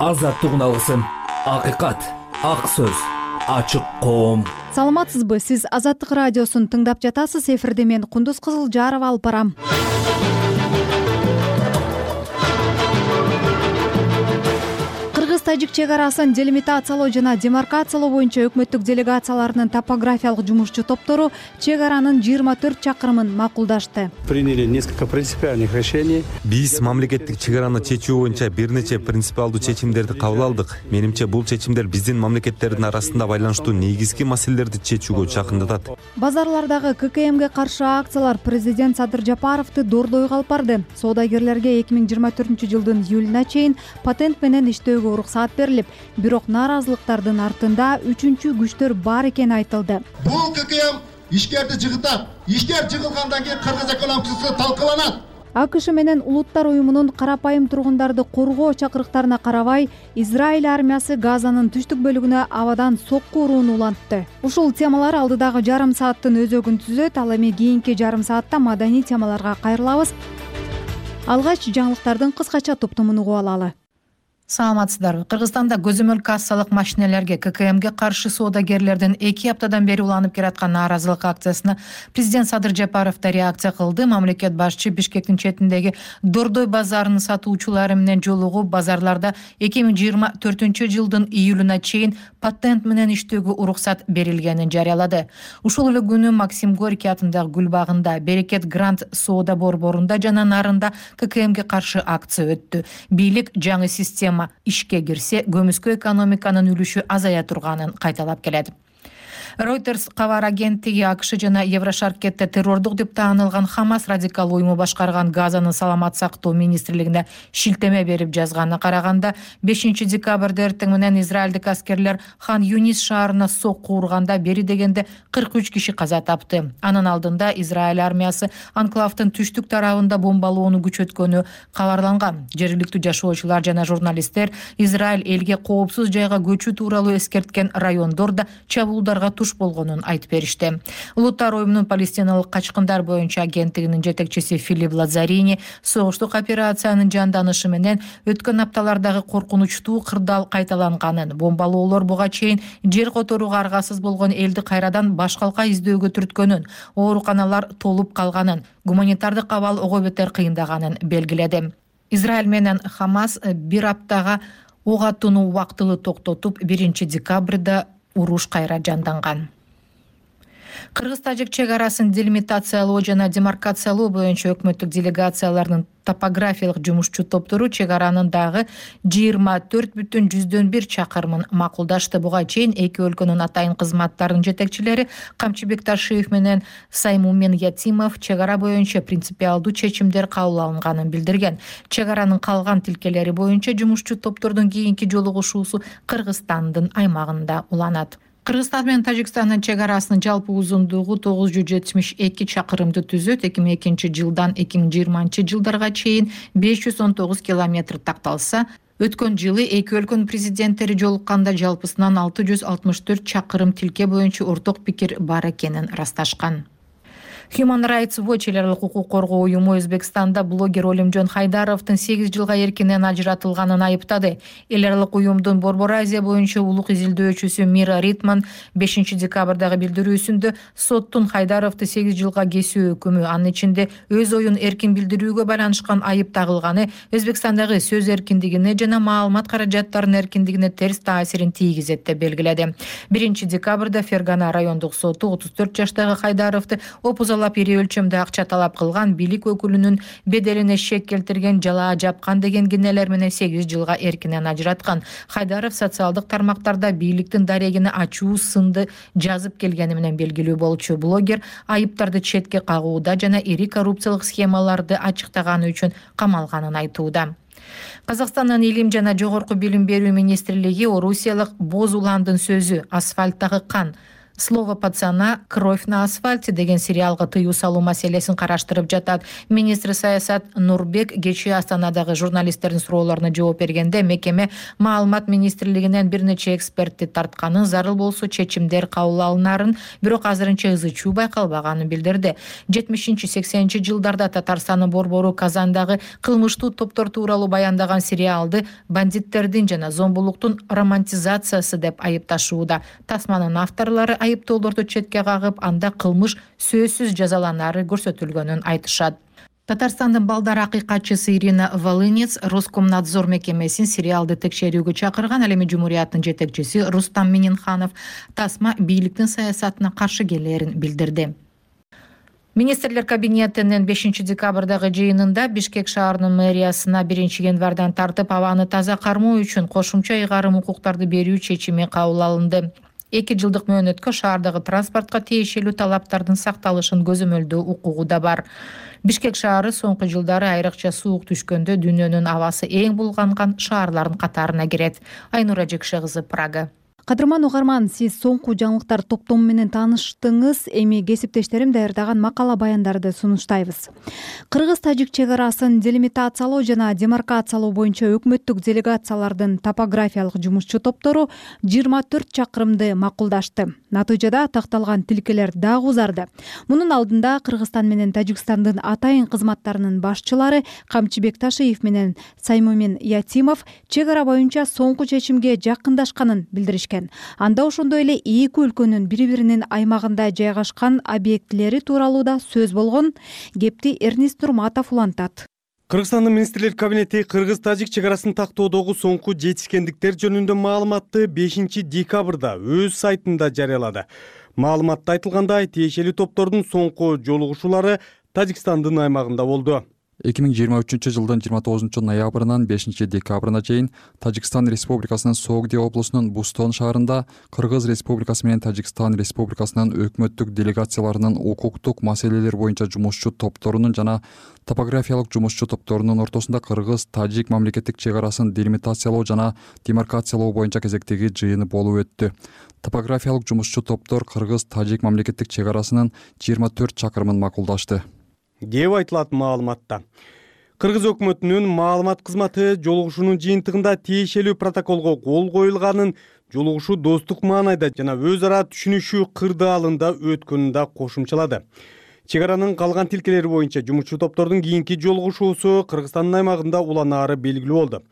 азаттык уналысын, акыйкат, ак сөз, ачык коом. Саламатсызбы? Сиз Азаттык радиосун тыңдап жатасыз. Эфирде мен Кундуз Кызылжарова алып барам. Кыргыз-тажик чек арасын делимитациялоо жана демаркациялоо боюнча өкмөттүк делегацияларынын топографиялык жумушчу топтору чек аранын 24 чакырымын макулдашты. Приняли несколько принципиальных решений. Биз мамлекеттик чек араны чечүү боюнча бир нече принципиалдуу чечимдерди кабыл алдык. Менимче бул чечимдер биздин мамлекеттердин арасында байланыштуу негизги маселелерди чечүүгө чакындатат. Базарлардагы ККМге каршы акциялар президент Садыр Жапаровду дордойго алып барды. Соодагерлерге 2024-жылдын июлуна чейин патент менен иштөөгө уруксаат берилип, бирок нааразылыктардын артында үчүнчү күчтөр бар экени айтылды. Бул ККМ ишкерди жыгытат. Ишкер жыгылгандан кийин кыргыз экономикасы талкаланат. АКШ менен Улуттар уюмунун карапайым тургундарды коргоо чакырыктарына карабай, Израиль армиясы Газанын түштүк бөлүгүнө абадан сокку урууну улантты. Ушул темалар алдыдагы жарым сааттын өзөгүн түзөт. Ал эми кийинки жарым саатта маданий темаларга кайрылабыз. Алгач жаңылыктардын кыскача топтомун угуп алалы. Саламатсыздарбы? Кыргызстанда көзөмөл кассалык машинелерге ККМге каршы соодагерлердин 2 аптадан бери уланып келаткан нааразылык акциясына президент Садыр Жапаров да реакция кылды. Мамлекет башчы Бишкектин четиндеги Дордой базарынын сатуучулары менен жолугуп, базарларда 2024-жылдын июлуна чейин патент менен иштөөгө уруксат берилгенин жарыялады. Ушул эле күнү Максим Горький атындагы гүл багында, Берекет Грант соода борборунда жана нарында ККМге каршы акция өттү. Бийлик жаңы система ишке кирсе, көмүскө экономиканын үлүшү азая турганын кайталап келет. Reuters кабар агенттиги АКШ жана Еврошаркетте террордук деп таанылган Хамас радикал уюму башкарган Газанын саламат сактоо министрлигине шилтеме берип жазганына караганда, 5-декабрда эртең менен израилдик аскерлер Хан Юнис шаарына сокку урганда бери дегенде 43 киши каза тапты. Анын алдында Израиль армиясы анклавдын түштүк тарабында бомбалоону күчөткөнү кабарланган. Жергиликтүү жашоочулар жана журналисттер Израиль элге коопсуз жайга көчүү тууралуу эскерткен райондордо чабуулдарга болгонун айтып беришти. Улуттар уюмунун палестиналык качкындар боюнча агенттигинин жетекчиси Филипп Лазарини согуштук операциянын жанданышы менен өткөн апталардагы коркунучтуу кырдаал кайталанганын, бомбалоолор буга чейин жер которууга аргасыз болгон элди кайрадан башкалка издөөгө түрткөнүн, ооруканалар толуп калганын, гуманитардык абал ого бетер кыйындаганын белгиледи. Израиль менен Хамас бир аптага ок атууну убактылуу токтотуп, 1-декабрда уруш кайра жанданган. Кыргыз-тажик чек арасын делимитациялоо жана демаркациялоо боюнча өкмөттүк делегацияларынын топографиялык жумушчу топтору чек аранын дагы 24,1 чакырымын макулдашты. Буга чейин эки өлкөнүн атайын кызматтарынын жетекчилери Камчыбек Ташиев менен Саймумен Ятимов чек ара боюнча принципиалдуу чечимдер кабыл алынганын билдирген. Чек аранын калган тилкелери боюнча жумушчу топтордун кийинки жолугушуусу Кыргызстандын аймагында уланат. Кыргызстан менен Тажикстандын чек арасынын жалпы узундугу 972 чакырымды түзөт. 2002-жылдан 2020-жылдарга чейин 519 километр такталса, өткөн жылы эки өлкөнүн президенттери жолукканда жалпысынан 664 чакырым тилке боюнча орток пикир бар экенин расташкан. Human Rights Watch эл аралык укук коргоо уюму Өзбекстанда блогер Олимжон Хайдаровдун 8 жылга эркинен ажыратылганын айыптады. Эл аралык уюмдун Борбор Азия боюнча улук изилдөөчүсү Мира Ритман 5-декабрдагы билдирүүсүндө соттун Хайдаровду 8 жылга кесүү өкүмү, анын ичинде өз оюн эркин билдирүүгө байланышкан айып тагылганы Өзбекстандагы сөз эркиндигине жана маалымат каражаттарынын эркиндигине терс таасирин тийгизет деп белгиледи. 1-декабрда Фергана райондук соту 34 жаштагы Хайдаровду опузалап ири өлчөмдө акча талап кылган, бийлик өкүлүнүн беделине шек келтирген, жалаа жапкан деген кинелер менен 8 жылга эркинен ажыраткан. Хайдаров социалдык тармактарда бийликтин дарегине ачуу сынды жазып келгени менен белгилүү болчу. Блогер айыптарды четке кагууда жана ири коррупциялык схемаларды ачыктаганы үчүн камалганын айтууда. Казакстандын илим жана жогорку билим берүү министрлиги орусиялык Боз Уландын сөзү «Асфальттагы кан» Слово пацана, кровь на асфальте деген сериалга тыюу салуу маселесин караштырып жатат. Министр саясат Нурбек кечээ Астанадагы журналисттердин суроолоруна жооп бергенде мекеме маалымат министрлигинен бир нече экспертти тартканын, зарыл болсо чечимдер кабыл алынарын, бирок азырынча ызы чуу байкалбаганын билдирди. 70-80 жылдарда Татарстандын борбору Казандагы кылмыштуу топтор тууралуу баяндаган сериалды бандиттердин жана зомбулуктун романтизациясы деп айыпташууда. Тасманын авторлору айыптоолорду четке кагып, анда кылмыш сөзсүз жазаланары көрсөтүлгөнүн айтышат. Татарстандын балдар акыйкатчысы Ирина Волынец Роскомнадзор мекемесин сериалды текшерүүгө чакырган. Ал эми Жумурияттын жетекчиси Рустам Мининханов тасма бийликтин саясатына каршы келээрин билдирди. Министрлер кабинетинин 5-декабрдагы жыйынында Бишкек шаарынын мэриясына 1-январдан тартып абаны таза кармоо үчүн кошумча ыйгарым укуктарды берүү чечими кабыл алынды. 2 жылдык мөөнөткө шаардагы транспортко тиешелүү талаптардын сакталышын көзөмөлдөө укугу да бар. Бишкек шаары соңку жылдары айрыкча суук түшкөндө дүйнөнүн абасы эң булганган шаарлардын катарына кирет. Айнура Жекше кызы, Прага. Кадырман угарман, сиз соңку жаңылыктар топтому менен тааныштыңыз. Эми кесиптештерим даярдаган макала баяндарды сунуштайбыз. Кыргыз-тажик чек арасын делимитациялоо жана демаркациялоо боюнча өкмөттүк делегациялардын топографиялык жумушчу топтору 24 чакырымды макулдашты. Натыйжада такталган тилкелер дагы узарды. Мунун алдында Кыргызстан менен Тажикстандын атайын кызматтарынын башчылары Камчыбек Ташиев менен Саймумин Ятимов чек ара боюнча соңку чечимге жакындашканын билдиришкен. Анда ошондой эле эки өлкөнүн бири-биринин аймагында жайгашкан объектилери тууралуу да сөз болгон. Кепти Эрнист Нурматов улантат. Кыргызстандын министрлер кабинети кыргыз-тажик чек арасын тактоодогу соңку жетишкендиктер жөнүндө маалыматты 5-декабрда өз сайтында жарыялады. Маалыматта айтылгандай, тиешелүү топтордун соңку жолугушуулары Тажикстандын аймагында болду. 2023 жылдын 29 ноябрынан 5 декабрына чейин Тажикстан Республикасынын Согди облусунун Бустон шаарында Кыргыз Республикасы менен Тажикстан Республикасынын өкмөттүк делегацияларынын укуктук маселелер боюнча жумушчу топторунун жана топографиялык жумушчу топторунун ортосунда Кыргыз-Тажик мамлекеттик чек арасын делимитациялоо жана демаркациялоо боюнча кезектеги жыйыны болуп өттү. Топографиялык жумушчу топтор Кыргыз-Тажик мамлекеттик чек арасынын 24 чакырымын макулдашты деп айтылат маалыматта. Кыргыз өкмөтүнүн маалымат кызматы жолугушуунун жыйынтыгында тиешелүү протоколго кол коюлганын, жолугушуу достук маанайда жана өз ара түшүнүшүү кырдаалында өткөнүн да кошумчалады. Чек аранын калган тилкелери боюнча жумушчу топтордун кийинки жолугушуусу Кыргызстандын аймагында уланаары белгилүү болду.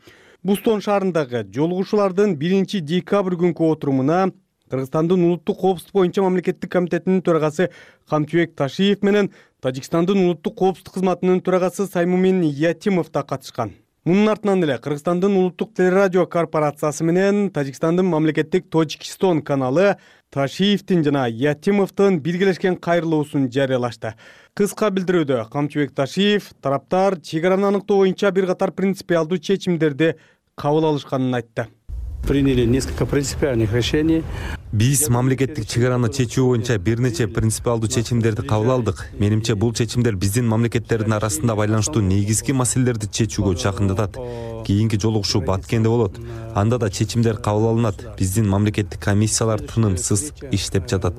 Бустон шаарындагы жолугушуулардын 1-декабрь күнкү отурумуна Кыргызстандын улуттук коопсуздук боюнча мамлекеттик комитетинин төрагасы Камчыбек Ташиев менен Тажикстандын улуттук коопсуздук кызматынын төрагасы Саймумин Ятимов да катышкан. Мунун артынан эле Кыргызстандын улуттук телерадио корпорациясы менен Тажикстандын мамлекеттик Точкистон каналы Ташиевдин жана Ятимовдун биргелешкен кайрылуусун жарыялашты. Кыска билдирүүдө Камчыбек Ташиев тараптар чек араны аныктоо боюнча бир катар принципиалдуу чечимдерди кабыл алышканын айтты. Приняли несколько принципиальных решений. Биз мамлекеттик чек араны чечүү боюнча бир нече принципиалдуу чечимдерди кабыл алдык. Менимче бул чечимдер биздин мамлекеттердин арасында байланыштуу негизги маселелерди чечүүгө жакындатат. Кийинки жолугушуу Баткенде болот. Анда да чечимдер кабыл алынат. Биздин мамлекеттик комиссиялар тынымсыз иштеп жатат.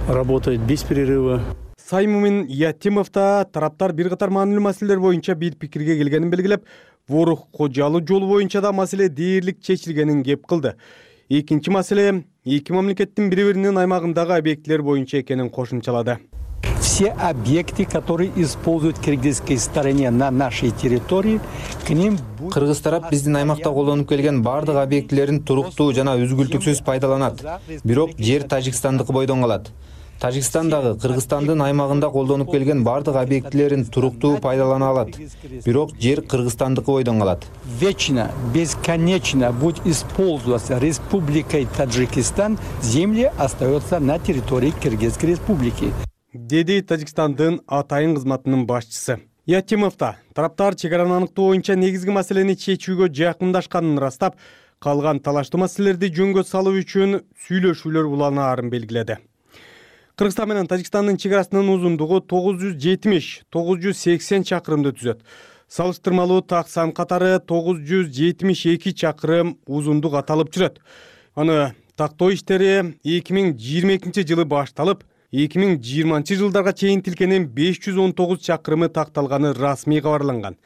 Работает без перерыва. Саймумин Ятимов да тараптар бир катар маанилүү маселелер боюнча бир пикирге келгенин белгилеп, Ворух Кожалуу жолу боюнча да маселе дээрлик чечилгенин кеп кылды. Экинчи маселе эки мамлекеттин бири-биринин аймагындагы объектилер боюнча экенин кошумчалады. Все объекты, которые используют в кыргызской стороне на нашей территории, к ним будет... Кыргыз тарап биздин аймакта колдонуп келген бардык объектилерин туруктуу жана үзгүлтүксүз пайдаланат. Бирок жер Тажикстандыкы бойдон калат. Тажикстандагы Кыргызстандын аймагында колдонуп келген бардык объектилерин туруктуу пайдалана алат. Бирок жер Кыргызстандыкы бойдон калат. Вечно, бесконечно будет использоваться Республикой Таджикистан, земли остаются на территории Кыргызской республики. Деди Тажикстандын атайын кызматынын башчысы. Ятимов да тараптар чек араны аныктоо боюнча негизги маселени чечүүгө жакындашканын ырастап, калган талаштуу маселелерди жөнгө салуу үчүн сүйлөшүүлөр уланаарын белгиледи. Кыргызстан менен Тажикстандын чек арасынын узундугу 970-980 чакырымды түзөт. Салыштырмалуу таксан катары 972 чакырым узундук аталып жүрөт. Аны тактоо иштери 2022 жылы башталып, 2020 жылдарга чейин тилкенин 519 чакырымы такталганы расмий кабарланган.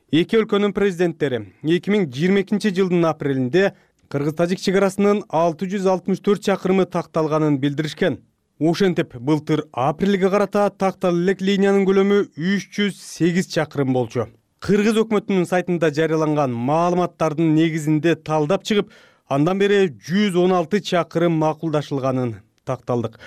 Эки өлкөнүн президенттери 2022 жылдын апрелинде кыргыз-тажик чек арасынын 664 чакырымы такталганын билдиришкен. Ошентип, былтыр апрелге карата тактала элек линиянын көлөмү 308 чакырым болчу. Кыргыз өкмөтүнүн сайтында жарыяланган маалыматтардын негизинде талдап чыгып, андан бери 116 чакырым макулдашылганын такталдык.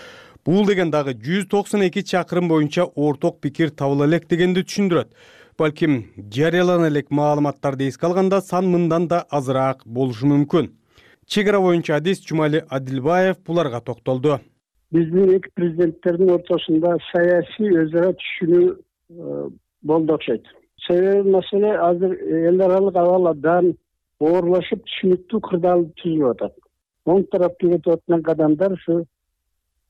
Бул деген дагы 192 чакырым боюнча орток пикир табыла элек дегенди түшүндүрөт. Балким жарыялана элек маалыматтарды эске алганда сан мындан да азыраак болушу мүмкүн. Чек ара боюнча адис Жумали Адилбаев буларга токтолду. Биздин эки президенттердин ортосунда саясий өз ара түшүнүү болду окшойт. Себеби маселе азыр эл аралык абал абдан оорлошуп, түшүнүктүү кырдаал түзүлүп атат. Оң тарапка кетип аткан кадамдар ушу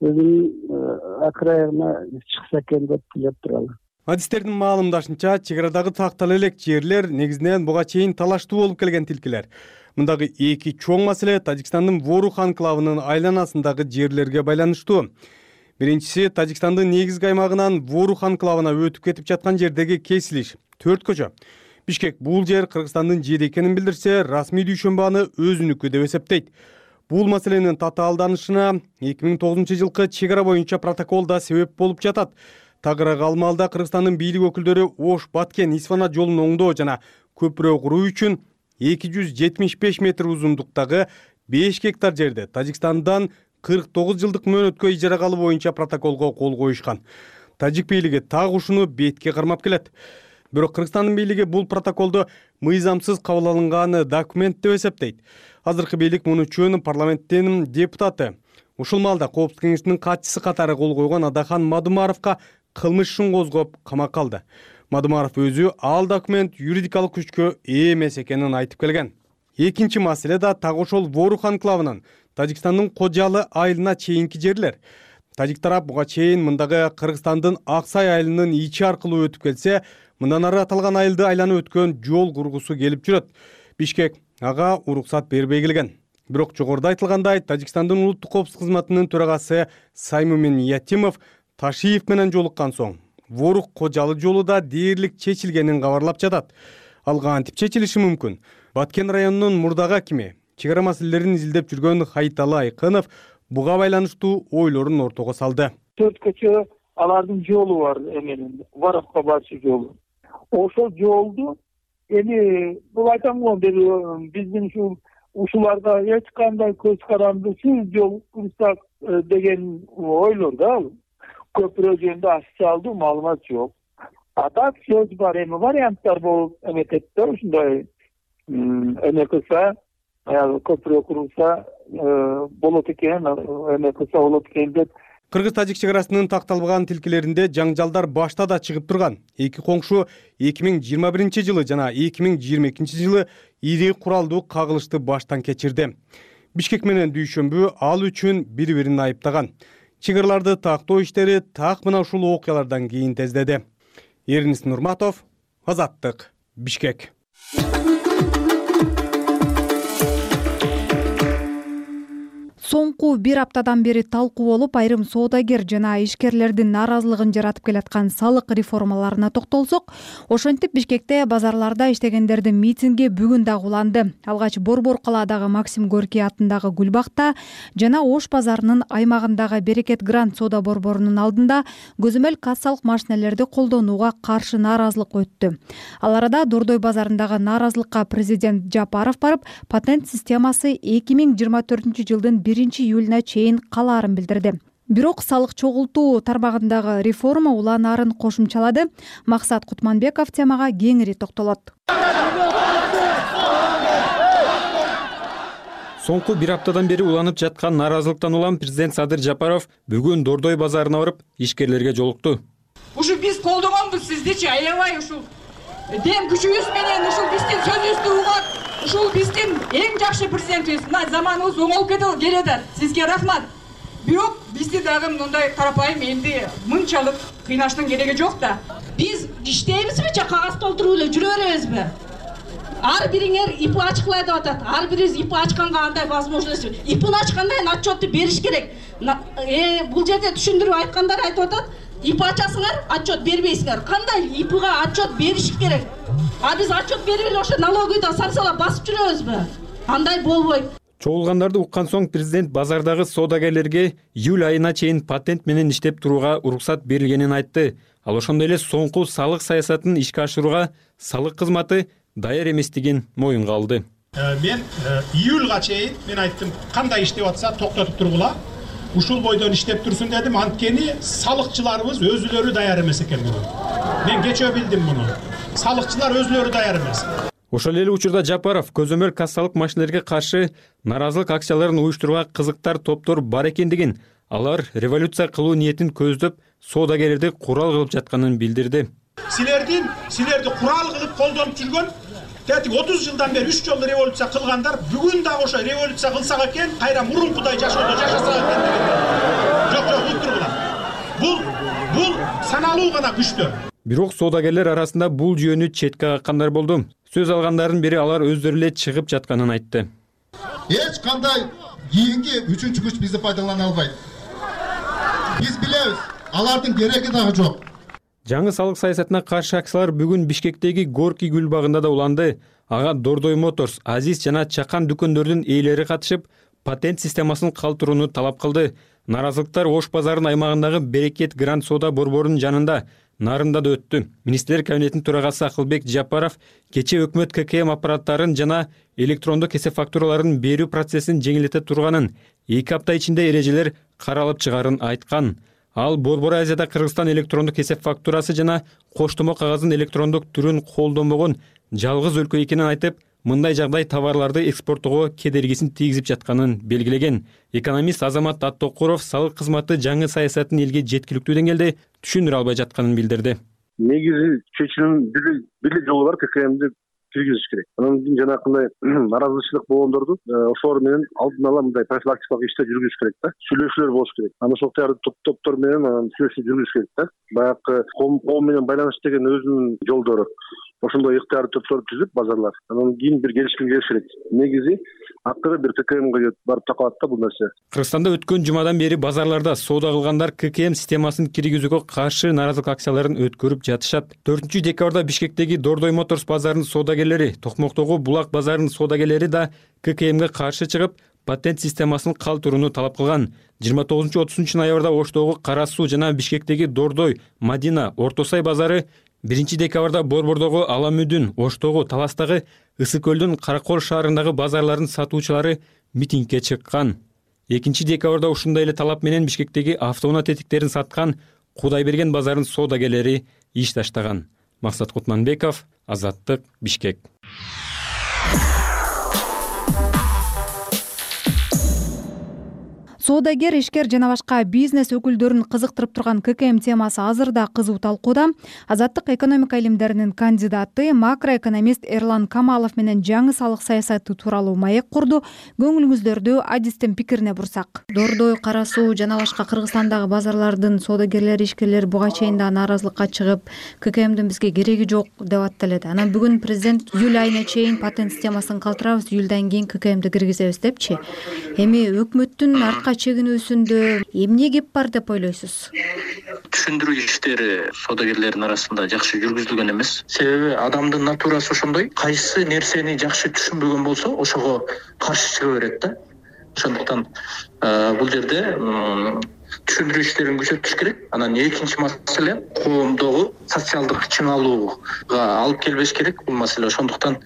өзүнүн акырайына чыкса экен деп тилеп туралы. Адистердин маалымдашынча, чек арадагы тактала элек жерлер негизинен буга чейин талаштуу болуп келген тилкилер. Мындагы эки чоң маселе Тажикстандын Ворух анклавынын айланасындагы жерлерге байланыштуу. Биринчиси Тажикстандын негизги аймагынан Ворух анклавына өтүп кетип жаткан жердеги кесилиш. 4 көчө. Бишкек бул жер Кыргызстандын жери экенин билдирсе, расмий дүйшөмбү аны өзүнүкү деп эсептейт. Бул маселенин татаалданышына 2009 жылкы чек ара боюнча протокол да себеп болуп жатат. Тагыраак алмалда Кыргызстандын бийлик өкүлдөрү Ош-Баткен Исфана жолун оңдоо жана көпүрө куруу үчүн 275 метр узундуктагы 5 гектар жерде Тажикстандан 49 жылдык мөөнөткө ижарага алуу боюнча протоколго кол коюшкан. Тажик бийлиги так ушуну бетке кармап келет. Бирок Кыргызстандын бийлиги бул протоколду мыйзамсыз кабыл алынган документ деп эсептейт. Азыркы бийлик муну үчүн парламенттин депутаты, ушул маалда Коопсуздук кеңешинин катчысы катары кол койгон Адахан Мадумаровго кылмыш ишин козгоп камакка алды. Мадумаров өзү ал документ юридикалык күчкө ээ эмес экенин айтып келген. Экинчи маселе да так ошол Ворух анклавынын Тажикстандын Кожалы айылына чейинки жерлер. Тажик тарап буга чейин мындагы Кыргызстандын Аксай айылынын ичи аркылуу өтүп келсе, мындан ары аталган айылды айланып өткөн жол кургусу келип жүрөт. Бишкек ага уруксат бербей келген. Бирок жогоруда айтылгандай, Тажикстандын улуттук коопсуздук кызматынын төрагасы Саймумин Ятимов Ташиев менен жолуккан соң Ворух Кожалы жолу да дээрлик чечилгенин кабарлап жатат. Ал кантип чечилиши мүмкүн? Баткен районунун мурдагы акими, чек ара маселелерин изилдеп жүргөн Хайталы Айкынов буга байланыштуу ойлорун ортого салды. 4 көчө алардын жолу бар эменин, Ворухка барчу жолу. Ошол жолду эми бул айтам го, биздин ушуларга эч кандай көз карандысыз жол курсак деген ойлор да. Көпүрө жөнүндө официалдуу маалымат жок. А так сөз бар, эми варианттар болуп эметет да, ушундай эме кылса, көпүрө курулса болот экен, эме кылса болот экен деп. Кыргыз-тажик чек арасынын такталбаган тилкелеринде жаңжалдар башта да чыгып турган. Эки коңшу 2021 жылы жана 2022 жылы ири куралдуу кагылышты баштан кечирди. Бишкек менен Дүйшөмбү ал үчүн бири-бирин айыптаган. Чек араларды тактоо иштери так мына ушул окуялардан кийин тездеди. Эрнис Нурматов, Азаттык, Бишкек. Соңку бир аптадан бери талкуу болуп, айрым соодагер жана ишкерлердин нааразылыгын жаратып келаткан салык реформаларына токтолсок, ошентип Бишкекте базарларда иштегендердин митинги бүгүн дагы уланды. Алгач Борбор калаадагы Максим Горький атындагы Гүлбакта жана Ош базарынын аймагындагы Берекет Грант соода борборунун алдында көзөмөл кассалык машинелерди колдонууга каршы нааразылык өттү. Ал арада Дордой базарындагы нааразылыкка президент Жапаров барып, патент системасы 2024 жылдын 1-июлуна чейин калаарын билдирди. Бирок салык чогултуу тармагындагы реформа уланаарын кошумчалады. Максат Кутманбеков темага кеңири токтолот. Соңку бир аптадан бери уланып жаткан нааразылыктан улам президент Садыр Жапаров бүгүн Дордой базарына барып, ишкерлерге жолукту. Ушу биз колдогонбуз сиздичи, аябай ушул дем күчүбүз менен ушул биздин сөзүбүздү угат. Ушул биздин эң жакшы президентибиз. Мына заманыбыз оңолуп келет. Сизге рахмат. Бирок бизди дагы мындай карапайым элди мынчалык кыйнаштын кереги жок да. Биз иштейбизби же кагаз толтуруп эле жүрө беребизби? ар бириңер ИП ачкыла деп атат. Ар бирибиз ИП ачканга андай возможность. ИПни ачкандан отчетту бериш керек. Бул жерде түшүндүрүп айткандар айтып атат. ИП ачасыңар, отчет бербейсиңер. Кандай ИПга отчет бериш керек? Биз отчет берип эле ошо налоговыйда самсалап басып жүрөбүзбү? Андай болбойт. Чогулгандарды уккан соң президент базардагы соодагерлерге июль айына чейин патент менен иштеп турууга уруксат берилгенин айтты. Ал ошондой эле соңку салык саясатын ишке ашырууга салык кызматы даяр эместигин моюнга алды. Мен июльга чейин мен айттым, кандай иштеп атса токтотуп тургула. Ушул бойдон иштеп турсун дедим, анткени салыкчыларыбыз өзүлөрү даяр эмес экен бүгүн. Мен кечөө билдим муну. Салыкчылар өзүлөрү даяр эмес. Ошол эле учурда Жапаров көзөмөл кассалык машинелерге каршы наразылык акцияларын уюштурууга кызыктар топтор бар экендигин, алар революция кылуу ниетин көздөп соодагерлерди курал кылып жатканын билдирди. Силерди курал кылып колдонуп жүргөн 30 жылдан бери 3 жолу революция кылгандар бүгүн дагы ошо революция кылсак экен, кайра мурункудай жашоодо жашасак экен деген. Жок, уктургула. Бул саналуу гана күчтөр. Бирок соодагерлер арасында бул жүйөнү четке каккандар болду. Сөз алгандардын бири алар өздөрү эле чыгып жатканын айтты. Эч кандай кийинки үчүнчү күч бизди пайдалана албайт. Биз билебиз, алардын кереги дагы жок. Жаңы салык саясатына каршы акциялар бүгүн Бишкектеги Горький гүл багында да уланды. Ага Дордой Моторс, Азиз жана Чакан дүкөндөрдүн ээлери катышып, патент системасын калтырууну талап кылды. Наразылыктар Ош базарынын аймагындагы Берекет Гранд Соода борборунун жанында Нарында да өттү. Министрлер кабинетинин төрагасы Акылбек Жапаров кечээ өкмөт ККМ аппараттарын жана электрондук эсеп фактураларын берүү процессин жеңилдете турганын, 2 апта ичинде эрежелер каралып чыгарын айткан. Ал Борбор Азияда Кыргызстан электрондук эсеп фактурасы жана коштомо кагаздын электрондук түрүн колдонбогон жалгыз өлкө экенин айтып, мындай жагдай товарларды экспорттоого кедергисин тийгизип жатканын белгилеген. Экономист Азамат Аттокуров салык кызматы жаңы саясатын элге жеткиликтүү деңгээлде түшүндүрө албай жатканын билдирди. Негизи чечүүнүн бир жолу бар, ККМди киргизиш керек. Анан кийин жанагындай наразычылык болгондорду ошолор менен алдын ала мындай профилактикалык иштер жүргүзүш керек да. Сүйлөшүүлөр болуш керек. Анан ошол топтор менен сүйлөшүү жүргүзүш керек да. Баягы ком менен байланыш деген өзүнүн жолдору. Ошондой ыктыярдуу топтор түзүп базарлар. Анан кийин бир келишимге келиш керек. Негизи акыры бир ККМге барып такалат да бул нерсе. Кыргызстанда өткөн жумадан бери базарларда соода кылгандар ККМ системасын киргизүүгө каршы наразылык акцияларын өткөрүп жатышат. 4 декабрда Бишкектеги Дордой Моторс базарынын соодагерлери, Токмоктогу Булак базарынын соодагерлери да ККМге каршы чыгып, патент системасын калтырууну талап кылган. 29-30 ноябрда Оштогу Кара Суу жана Бишкектеги Дордой, Мадина, Орто Сай базары, 1 декабрда Борбордогу Аламүдүн, Оштогу, Таластагы, Ысык көлдүн Каракол шаарындагы базарлардын сатуучулары митингге чыккан. 2 декабрда ушундай эле талап менен Бишкектеги автоунаа тетиктерин саткан Кудайберген базарынын соодагерлери иш таштаган. Максат Кутманбеков, Азаттык, Бишкек. Соодагер, ишкер жана башка бизнес өкүлдөрүн кызыктырып турган ККМ темасы азырда кызуу талкууда. Азаттык экономика илимдеринин кандидаты, макроэкономист Эрлан Камалов менен жаңы салык саясаты тууралуу маек курду. Көңүлүңүздөрдү адистин пикирине бурсак. Дордой, Кара Суу жана башка Кыргызстандагы базарлардын соодагерлери, ишкерлери буга чейин да нааразылыкка чыгып, ККМдин бизге кереги жок деп атталет. Анан бүгүн президент июль айына чейин патент системасын калтырабыз, июльдан кийин ККМди киргизебиз депчи. Эми өкмөттүн артка чегинүүсүндө эмне кеп бар деп ойлойсуз? Түшүндүрүү иштери соодагерлердин арасында жакшы жүргүзүлгөн эмес. Себеби адамдын натурасы ошондой. Кайсы нерсени жакшы түшүнбөгөн болсо, ошого каршы чыга берет да. Ошондуктан бул жерде түшүндүрүү иштерин күчөтүш керек. Анан экинчи маселе коомдогу социалдык чыңалууга алып келбеш керек бул маселе. Ошондуктан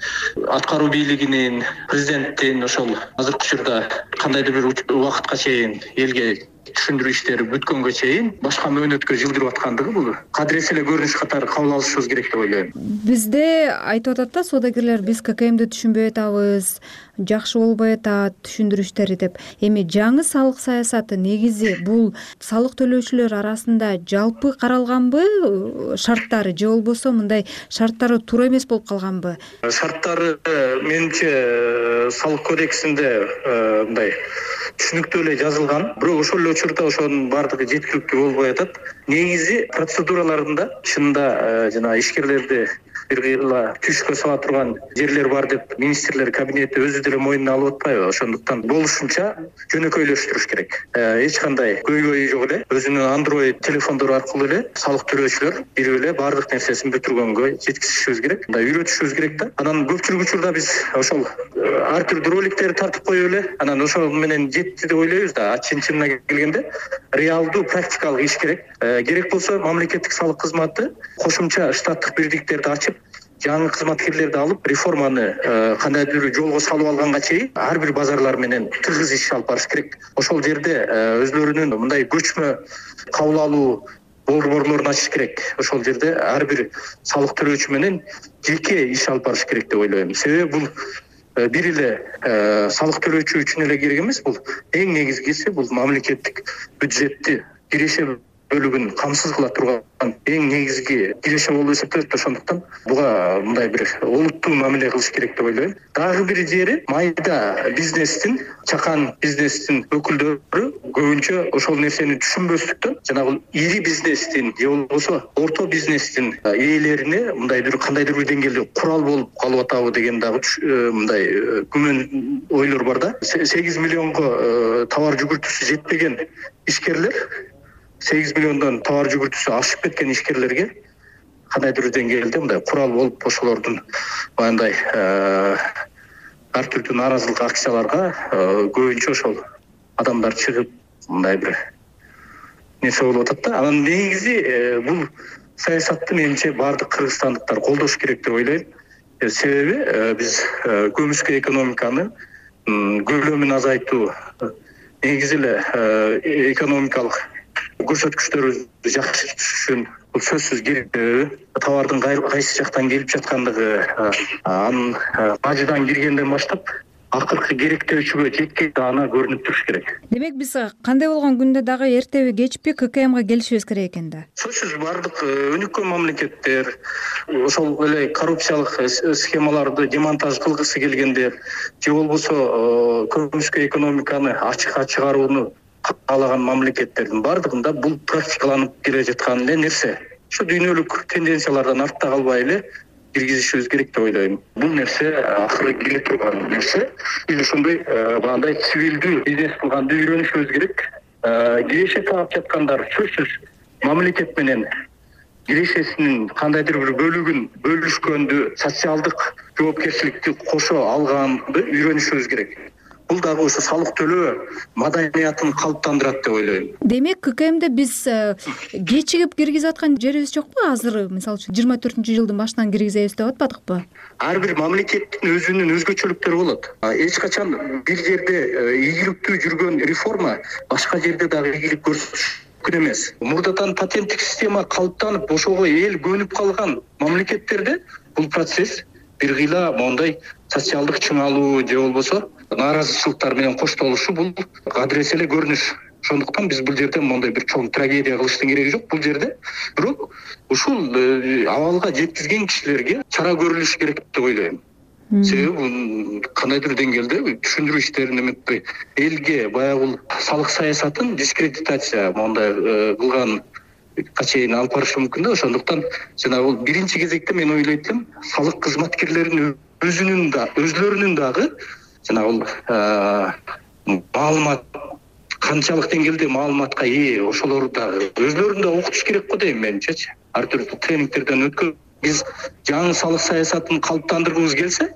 аткаруу бийлигинин, президенттин ошол азыркы учурда кандайдыр бир убакытка чейин элге түшүндүрүү иштери бүткөнгө чейин башка мөөнөткө жылдырып аткандыгы бул кадыресе эле көрүнүш катары кабыл алышыбыз керек деп ойлойм. Бизде айтып атат да соодагерлер, биз ККМди түшүнбөй атабыз, жакшы болбой атат түшүндүрүү иштери деп. Эми жаңы салык саясаты негизи бул салык төлөөчүлөр арасында жалпы каралганбы шарттары, же болбосо мындай шарттары туура эмес болуп калганбы? Шарттары менимче салык кодексинде мындай түшүнүктүү эле жазылган. Бирок ошол эле учурда ошонун баардыгы жеткиликтүү болбой атат. Негизи процедураларында чынында жана ишкерлерди бир кыйла түшкө сала турган жерлер бар деп министрлер кабинети өзү деле мойнуна алып атпайбы? Ошондуктан болушунча жөнөкөйлөштүрүш керек. Эч кандай көйгөй жок эле өзүнүн Android телефондору аркылуу эле салык төлөөчүлөр бирип эле баардык нерсесин бүтүргөнгө жеткизишибиз керек. Мындай үйрөтүшүбүз керек да. Анан көпчүлүк учурда биз ошол ар түрдүү роликтерди тартып коюп эле анан ошол менен жетти деп ойлойбуз да. Чын-чынына келгенде реалдуу практикалык иш керек. Керек болсо мамлекеттик салык кызматы кошумча штаттык бирдиктерди ачып, жаңы кызматкерлерди алып, реформаны кандайдыр жолго салып алганга чейин ар бир базарлар менен тыгыз иш алып барыш керек. Ошол жерде өзлөрүнүн мындай көчмө кабыл алуу борборлорун ачыш керек. Ошол жерде ар бир салык төлөөчү менен жеке иш алып барыш керек деп ойлойм. Себеби бул бир эле салык төлөөчү үчүн эле керек эмес, бул эң негизгиси бул мамлекеттик бюджетти киреше бөлүгүн камсыз кыла турган эң негизги киреше болуп эсептелет. Ошондуктан буга мындай бир олуттуу мамиле кылыш керек деп ойлойм. Дагы бир жери майда бизнестин, чакан бизнестин өкүлдөрү көбүнчө ошол нерсени түшүнбөстүктөн жанагы ири бизнестин же болбосо орто бизнестин ээлерине мындай бир кандайдыр бир деңгээлде курал болуп калып атабы деген дагы мындай күмөн ойлор бар да. 8 миллионго товар жүгүртүүсү жетпеген ишкерлер 8 миллиондон товар жүгүртүүсү ашып кеткен ишкерлерге кандайдыр деңгээлде мындай курал болуп ошолордун баягындай ар түрдүү нааразылык акцияларга көбүнчө ошол адамдар чыгып мындай бир нерсе болуп атат да. Анан негизи бул саясатты менимче баардык кыргызстандыктар колдош керек деп ойлойм. Себеби биз көмүскө экономиканы көлөмүн азайтуу негизи эле экономикалык көрсөткүчтөрүбүздү жакшы түшүшүн бул сөзсүз керек. Товардын кайсы жактан келип жаткандыгы, анын бажыдан киргенден баштап акыркы керектөөчүгө жеткенде аны көрүнүп туруш керек. Демек биз кандай болгон күндө дагы эртеби кечпи ККМга келишибиз керек экен да. Сөзсүз баардык өнүккөн мамлекеттер, ошол эле коррупциялык схемаларды демонтаж кылгысы келгендер же болбосо көмүскө экономиканы ачыкка чыгарууну каалаган мамлекеттердин баардыгында бул практикаланып келе жаткан эле нерсе. Ошо дүйнөлүк тенденциялардан артта калбай эле киргизишибиз керек деп ойлойм. Бул нерсе акыры келе турган нерсе. Биз ошондой багындай цивилдүү бизнес кылганды үйрөнүшүбүз керек. Киреше таап жаткандар сөзсүз мамлекет менен кирешесинин кандайдыр бир бөлүгүн бөлүшкөндү, социалдык жоопкерчиликти кошо алганды үйрөнүшүбүз керек. Бул дагы ошо салык төлөө маданиятын калыптандырат деп ойлойм. Демек ККМде биз кечигип киргизип аткан жерибиз жокпу? Азыр мисалы үчүн 24-жылдын башынан киргизебиз деп атпадыкпы? Ар бир мамлекеттин өзүнүн өзгөчөлүктөрү болот. Эч качан бир жерде ийгиликтүү жүргөн реформа башка жерде дагы ийгилик көрсөтүш мүмкүн эмес. Мурдадан патенттик система калыптанып, ошого эл көнүп калган мамлекеттерде бул процесс бир кыйла мондай социалдык чыңалуу же болбосо нааразычылыктар менен коштолушу бул адыресе эле көрүнүш. Ошондуктан биз бул жерде мондай бир чоң трагедия кылыштын кереги жок. Бул жерде бирок ушул абалга жеткизген кишилерге чара көрүлүш керек деп ойлойм. Себеби кандайдыр деңгээлде түшүндүрүү иштерин эметпей элге баягы салык саясатын дискредитация мондай кылган чейин алып барышы мүмкүн да. Ошондуктан жанагы биринчи кезекте мен ойлойт элем салык кызматкерлеринин өзлөрүнүн дагы жанагы маалымат канчалык деңгээлде маалыматка ээ ошолорду дагы өзлөрүн да окутуш керек го дейм менимчечи. Ар түрдүү тренингтерден өткөн биз жаңы салык саясатын калыптандыргыбыз келсе,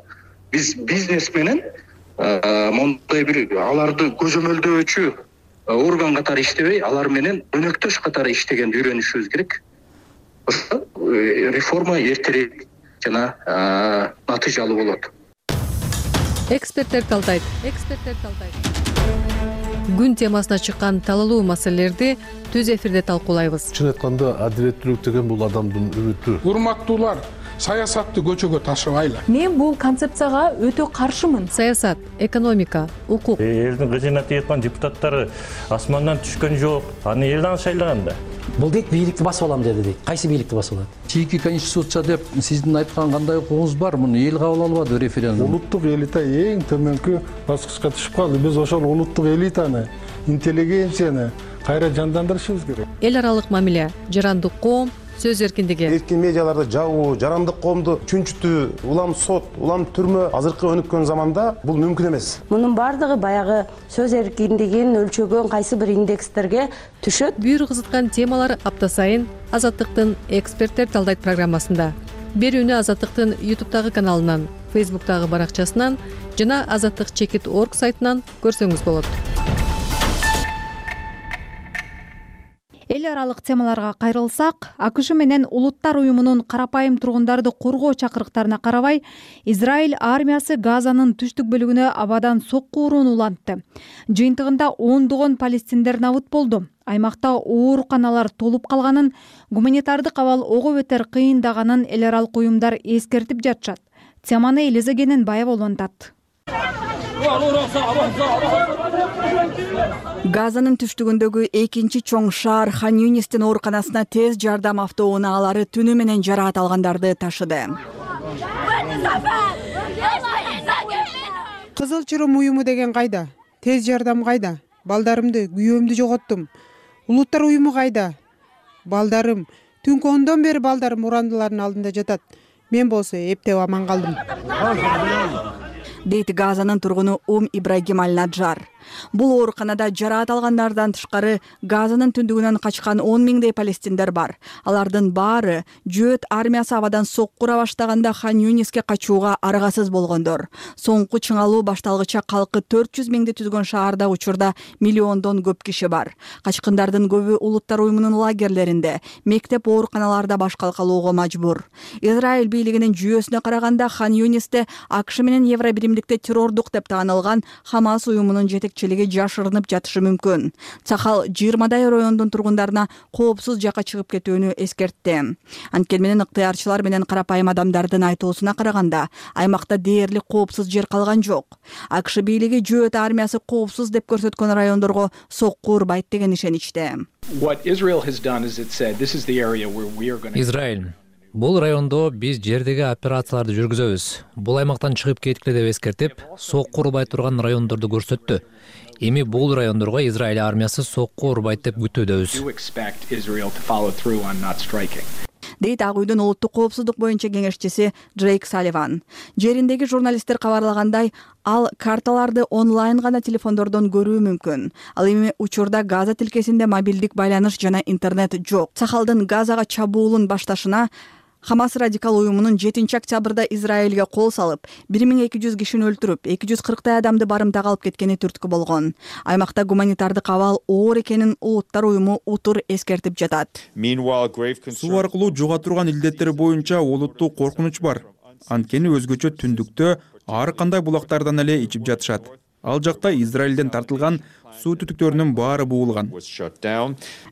биз бизнес менен мондай бир аларды көзөмөлдөөчү орган катары иштебей, алар менен өнөктөш катары иштегенди үйрөнүшүбүз керек. Ошо реформа эртерээк жана натыйжалуу болот. Эксперттер талдайт. Күн темасына чыккан талалуу маселелерди түз эфирде талкуулайбыз. Чын айтканда адилеттүүлүк деген бул адамдын үмүтү. Урматтуулар, саясатты көчөгө ташыбайлы. Мен бул концепцияга өтө каршымын. Саясат, экономика, укук. Элдин кызына тийган депутаттары асмандан түшкөн жок. Аны эл дагы шайлаган да. Бул дейт бийликти басып алам деди дейт. Кайсы бийликти басып алат? Чийки конституция деп сиздин айткан кандай укугуңуз бар? Муну эл кабыл албады референдум. Улуттук элита эң төмөнкү баскычка түшүп калды. Биз ошол улуттук элитаны, интеллигенцияны кайра жандандырышыбыз керек. Эл аралык мамиле, жарандык коом, сөз эркиндиги. Эркин медиаларды жабуу, жарандык коомду чүнчүтүү, улам сот, улам түрмө азыркы өнүккөн заманда бул мүмкүн эмес. Мунун бардыгы баягы сөз эркиндигин өлчөгөн кайсы бир индекстерге түшөт. Бүйүр кызыткан темалар апта сайын Азаттыктын эксперттер талдайт программасында. Берүүнү Азаттыктын YouTube'дагы каналынан, Facebook'тагы баракчасынан жана azattik.org сайтынан көрсөңүз болот. Эл аралык темаларга кайрылсак, АКШ менен Улуттар уюмунун карапайым тургундарды коргоо чакырыктарына карабай, Израиль армиясы Газанын түштүк бөлүгүнө абадан сокку урууну улантты. Жыйынтыгында ондогон палестиндер набыт болду. Аймакта ооруканалар толуп калганын, гуманитардык абал ого бетер кыйындаганын эл аралык уюмдар эскертип жатышат. Теманы Элиза Кененбаева улантат. Газанын түштүгүндөгү экинчи чоң шаар Хан Юнистин ооруканасына тез жардам автоунаалары түнү менен жараат алгандарды ташыды. Кызыл Чырым уюму деген кайда? Тез жардам кайда? Балдарымды, күйөөмдү жоготтум. Улуттар уюму кайда? Балдарым, түнкү 10дон бери балдарым урандылардын алдында жатат. Мен болсо эптеп аман калдым. Дейт Газанын тургуну Ибрагим Аль-Наджар. Бул ооруканада жараат алгандардан тышкары Газанын түндүгүнөн качкан 10 миңдей палестиндер бар. Алардын баары Жөөт армиясы абадан сокку ура баштаганда Хан Юниске качууга аргасыз болгондор. Соңку чыңалуу башталгыча калкы 400 миңди түзгөн шаарда учурда миллиондон көп киши бар. Качкындардын көбү Улуттар уюмунун лагерлеринде, мектеп ооруканаларда баш калкалоого мажбур. Израиль бийлигинин жүйөсүнө караганда Хан Юнисте АКШ менен Евро биримдикте террордук деп таанылган Хамас уюмунун жетекчилиги жашырынып жатышы мүмкүн. Цахал 20дай райондун тургундарына коопсуз жакка чыгып кетүүнү эскертти. Анткени менен ыктыярчылар менен карапайым адамдардын айтуусуна караганда, аймакта дээрлик коопсуз жер калган жок. АКШ бийлиги Жөөт армиясы коопсуз деп көрсөткөн райондорго сокку урбайт деген ишеничте. Израиль бул райондо биз жердеги операцияларды жүргүзөбүз. Бул аймактан чыгып кеткиле деп эскертип, сокку урбай турган райондорду көрсөттү. Эми бул райондорго Израиль армиясы сокку урбайт деп күтүүдөбүз. Дейт Ак үйдүн улуттук коопсуздук боюнча кеңешчиси Джейк Салливан. Жериндеги журналисттер кабарлагандай, ал карталарды онлайн гана телефондордон көрүү мүмкүн. Ал эми учурда Газа тилкесинде мобилдик байланыш жана интернет жок. Сахалдын Газага чабуулун башташына Хамас радикал уюмунун 7 октябрда Израилге кол салып, 1200 кишини өлтүрүп, 240 адамды барымтага алып кеткени түрткү болгон. Аймакта гуманитардык абал оор экенин Улуттар уюму утур эскертип жатат. Суу аркылуу жуга турган илдеттер боюнча олуттуу коркунуч бар. Анткени өзгөчө түндүктө ар кандай булактардан эле ичип жатышат. Ал жакта Израилден тартылган суу түтүктөрүнүн баары буулган.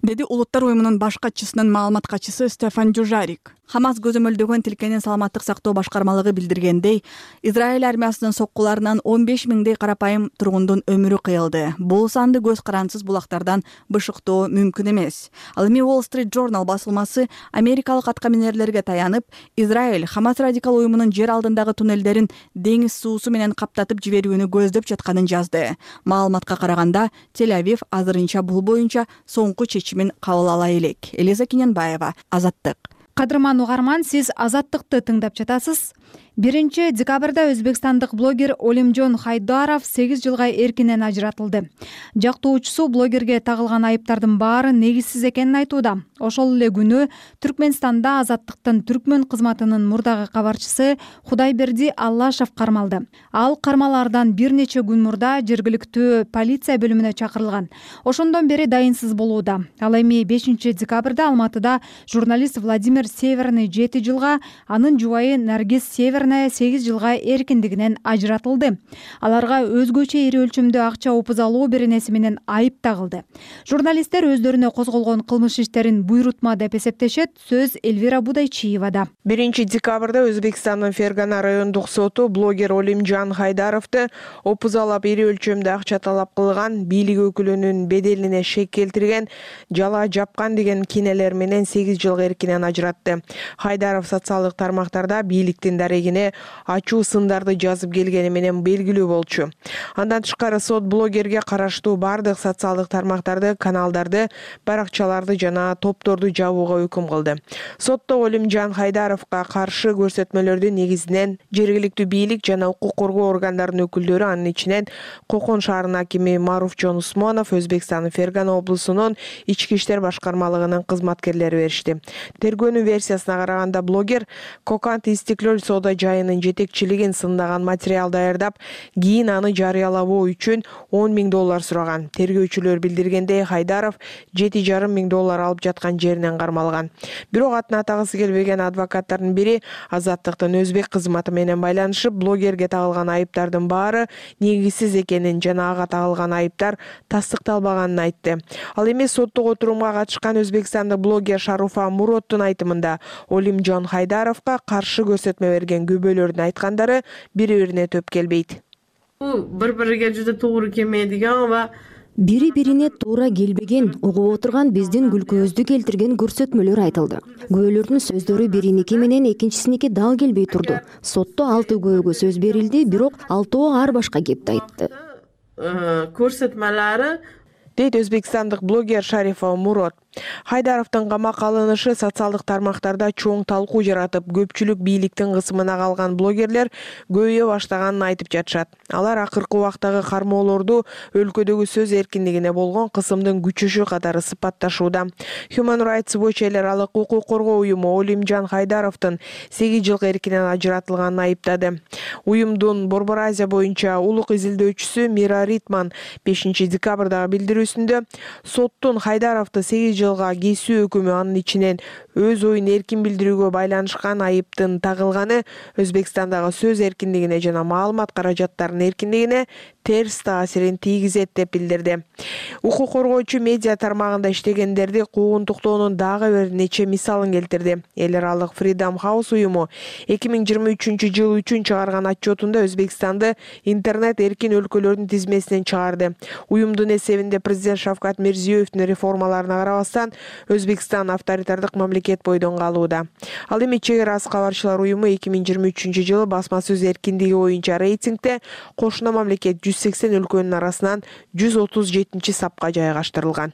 Деди Улуттар уюмунун баш катчысынын маалымат катчысы Стефан Дюжарик. Хамас көзөмөлдөгөн тилкенин саламаттык сактоо башкармалыгы билдиргендей, Израиль армиясынын соккуларынан 15 миңдей карапайым тургундун өмүрү кыйылды. Бул санды көз карансыз булактардан бышыктоо мүмкүн эмес. Ал эми Wall Street Journal басылмасы америкалык аткаминерлерге таянып, Израиль Хамас радикал уюмунун жер алдындагы туннелдерин деңиз суусу менен каптатып жиберүүнү көздөп жатканын жазды. Маалыматка караганда, Тель-Авив азырынча бул боюнча соңку чечимин кабыл ала элек. Элиза Кененбаева, Азаттык. Кадырман угарман, сиз Азаттыкты тыңдап жатасыз. 1 декабрда өзбекстандык блогер Олимжон Хайдаров 8 жылга эркинен ажыратылды. Жактоочусу блогерге тагылган айыптардын баары негизсиз экенин айтууда. Ошол эле күнү Түркмөнстанда Азаттыктын түркмөн кызматынын мурдагы кабарчысы Худайберди Аллашев кармалды. Ал кармалаардан бир нече күн мурда жергиликтүү полиция бөлүмүнө чакырылган. Ошондон бери дайынсыз болууда. Ал эми 5 декабрда Алматыда журналист Владимир Северный 7 жылга, анын жубайы Наргиз Северный 8 жылга эркиндигинен ажыратылды. Аларга өзгөчө ири өлчөмдө акча опуз алуу беренеси менен айып тагылды. Журналисттер өздөрүнө козголгон кылмыш иштерин буйрутма деп эсептешет. Сөз Эльвира Будайчиевада. 1 декабрда Өзбекстандын Фергана райондук соту блогер Олимжон Хайдаровду опуз алып ири өлчөмдө акча талап кылган, бийлик өкүлүнүн беделине шек келтирген, жала жапкан деген кинелер менен 8 жылга эркинен ажыратты. Хайдаров социалдык тармактарда бийликтин дарегине жана ачуу сындарды жазып келгени менен белгилүү болчу. Андан тышкары сот блогерге караштуу бардык социалдык тармактарды, каналдарды, баракчаларды жана топторду жабууга өкүм кылды. Сотто Олимжан Хайдаровго каршы көрсөтмөлөрдү негизинен жергиликтүү бийлик жана укук коргоо органдарынын өкүлдөрү, анын ичинен Кокон шаарынын акими Маруфжон Усмонов, Өзбекстандын Фергана облусунун ички иштер башкармалыгынын кызматкерлери беришти. Тергөөнүн версиясына караганда блогер Коканд Истиклөл соода жайынын жетекчилигин сындаган материал даярдап, кийин аны жарыялабоо үчүн $10,000 сураган. Тергөөчүлөр билдиргендей, Хайдаров $7,500 алып жаткан жеринен кармалган. Бирок атын атагысы келбеген адвокаттардын бири Азаттыктын өзбек кызматы менен байланышып, блогерге тагылган айыптардын баары негизсиз экенин жана ага тагылган айыптар тастыкталбаганын айтты. Ал эми соттук отурумга катышкан Өзбекстандык блогер Шаруфа Муроттун айтымында Олимжан Хайдаровго каршы көрсөтмө берген күбөлөрдүн айткандары бири-бирине төп келбейт. Бул бири-бириге жүзө туура келмейдиган ва бири-бирине туура келбеген, угуп отурган биздин күлкүбүздү келтирген көрсөтмөлөр айтылды. Күбөлөрдүн сөздөрү бириники менен экинчисиники дал келбей турду. Сотто 6 күбөгө сөз берилди, бирок 6 ар башка кепти айтты. Көрсөтмөлөрү дейт өзбекстандык блогер Шарифа Мурот. Хайдаровдун камакка алынышы социалдык тармактарда чоң талкуу жаратып, көпчүлүк бийликтин кысымына калган блогерлер көбөйө баштаганын айтып жатышат. Алар акыркы убактагы кармоолорду өлкөдөгү сөз эркиндигине болгон кысымдын күчөшү катары сыпатташууда. Human Rights Watch эл аралык укук коргоо уюму Олимжан Хайдаровдун 8 жылга эркинен ажыратылганын айыптады. Уюмдун Борбор Азия боюнча улук изилдөөчүсү Мира Ритман 5 декабрдагы билдирүүсүндө соттун Хайдаровду 8 жылга кесүү өкүмү, анын ичинен өз оюн эркин билдирүүгө байланышкан айыптын тагылганы Өзбекстандагы сөз эркиндигине жана маалымат каражаттарынын эркиндигине терс таасирин тийгизет деп билдирди. Укук коргоочу медиа тармагында иштегендерди куугунтуктоонун дагы бир нече мисалын келтирди. Эл аралык Freedom House уюму 2023 жыл үчүн чыгарган отчетунда Өзбекстанды интернет эркин өлкөлөрдүн тизмесинен чыгарды. Уюмдун эсебинде президент Шавкат Мирзиёевдин реформаларына карабастан Өзбекстан авторитардык мамлекет бойдон калууда. Ал эми чек ара кабарчылар уюму 2023 жылы басма сөз эркиндиги боюнча рейтингде кошуна мамлекет 180 өлкөнүн арасынан 137 сапка жайгаштырылган.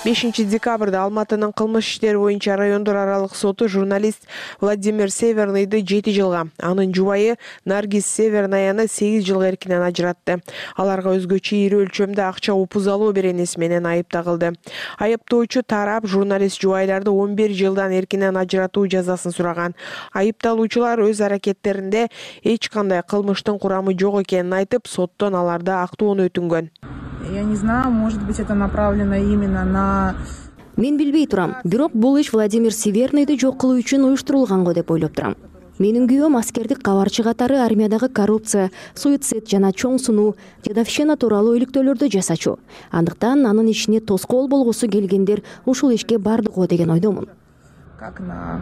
5 декабрда Алматынын кылмыш иштери боюнча райондор аралык соту журналист Владимир Северныйды 7 жылга, анын жубайы Наргиз Севернаяны 8 жылга эркинен ажыратты. Аларга өзгөчө ири өлчөмдө акча упузалоо беренеси менен айып тагылды. Айыптоочу тарап журналист жубайларды 11 жылдан эркинен ажыратуу жазасын сураган. Айыпталуучулар өз аракеттеринде эч кандай кылмыштын курамы жок экенин айтып, соттон аларда актоону өтүнгөн. Я не знаю, может быть, это направлено именно на... Мен билбей турам, бирок бул иш Владимир Северныйды жок кылуу үчүн уюштурулганго деп ойлоп турам. Менин күйөөм аскердик кабарчы катары армиядагы коррупция, суицид жана чоң сунуу, дедовщина тууралуу иликтөөлөрдү жасачу. Андыктан анын ишине тоскоол болгусу келгендер ушул ишке бардыго деген ойдомун. Как на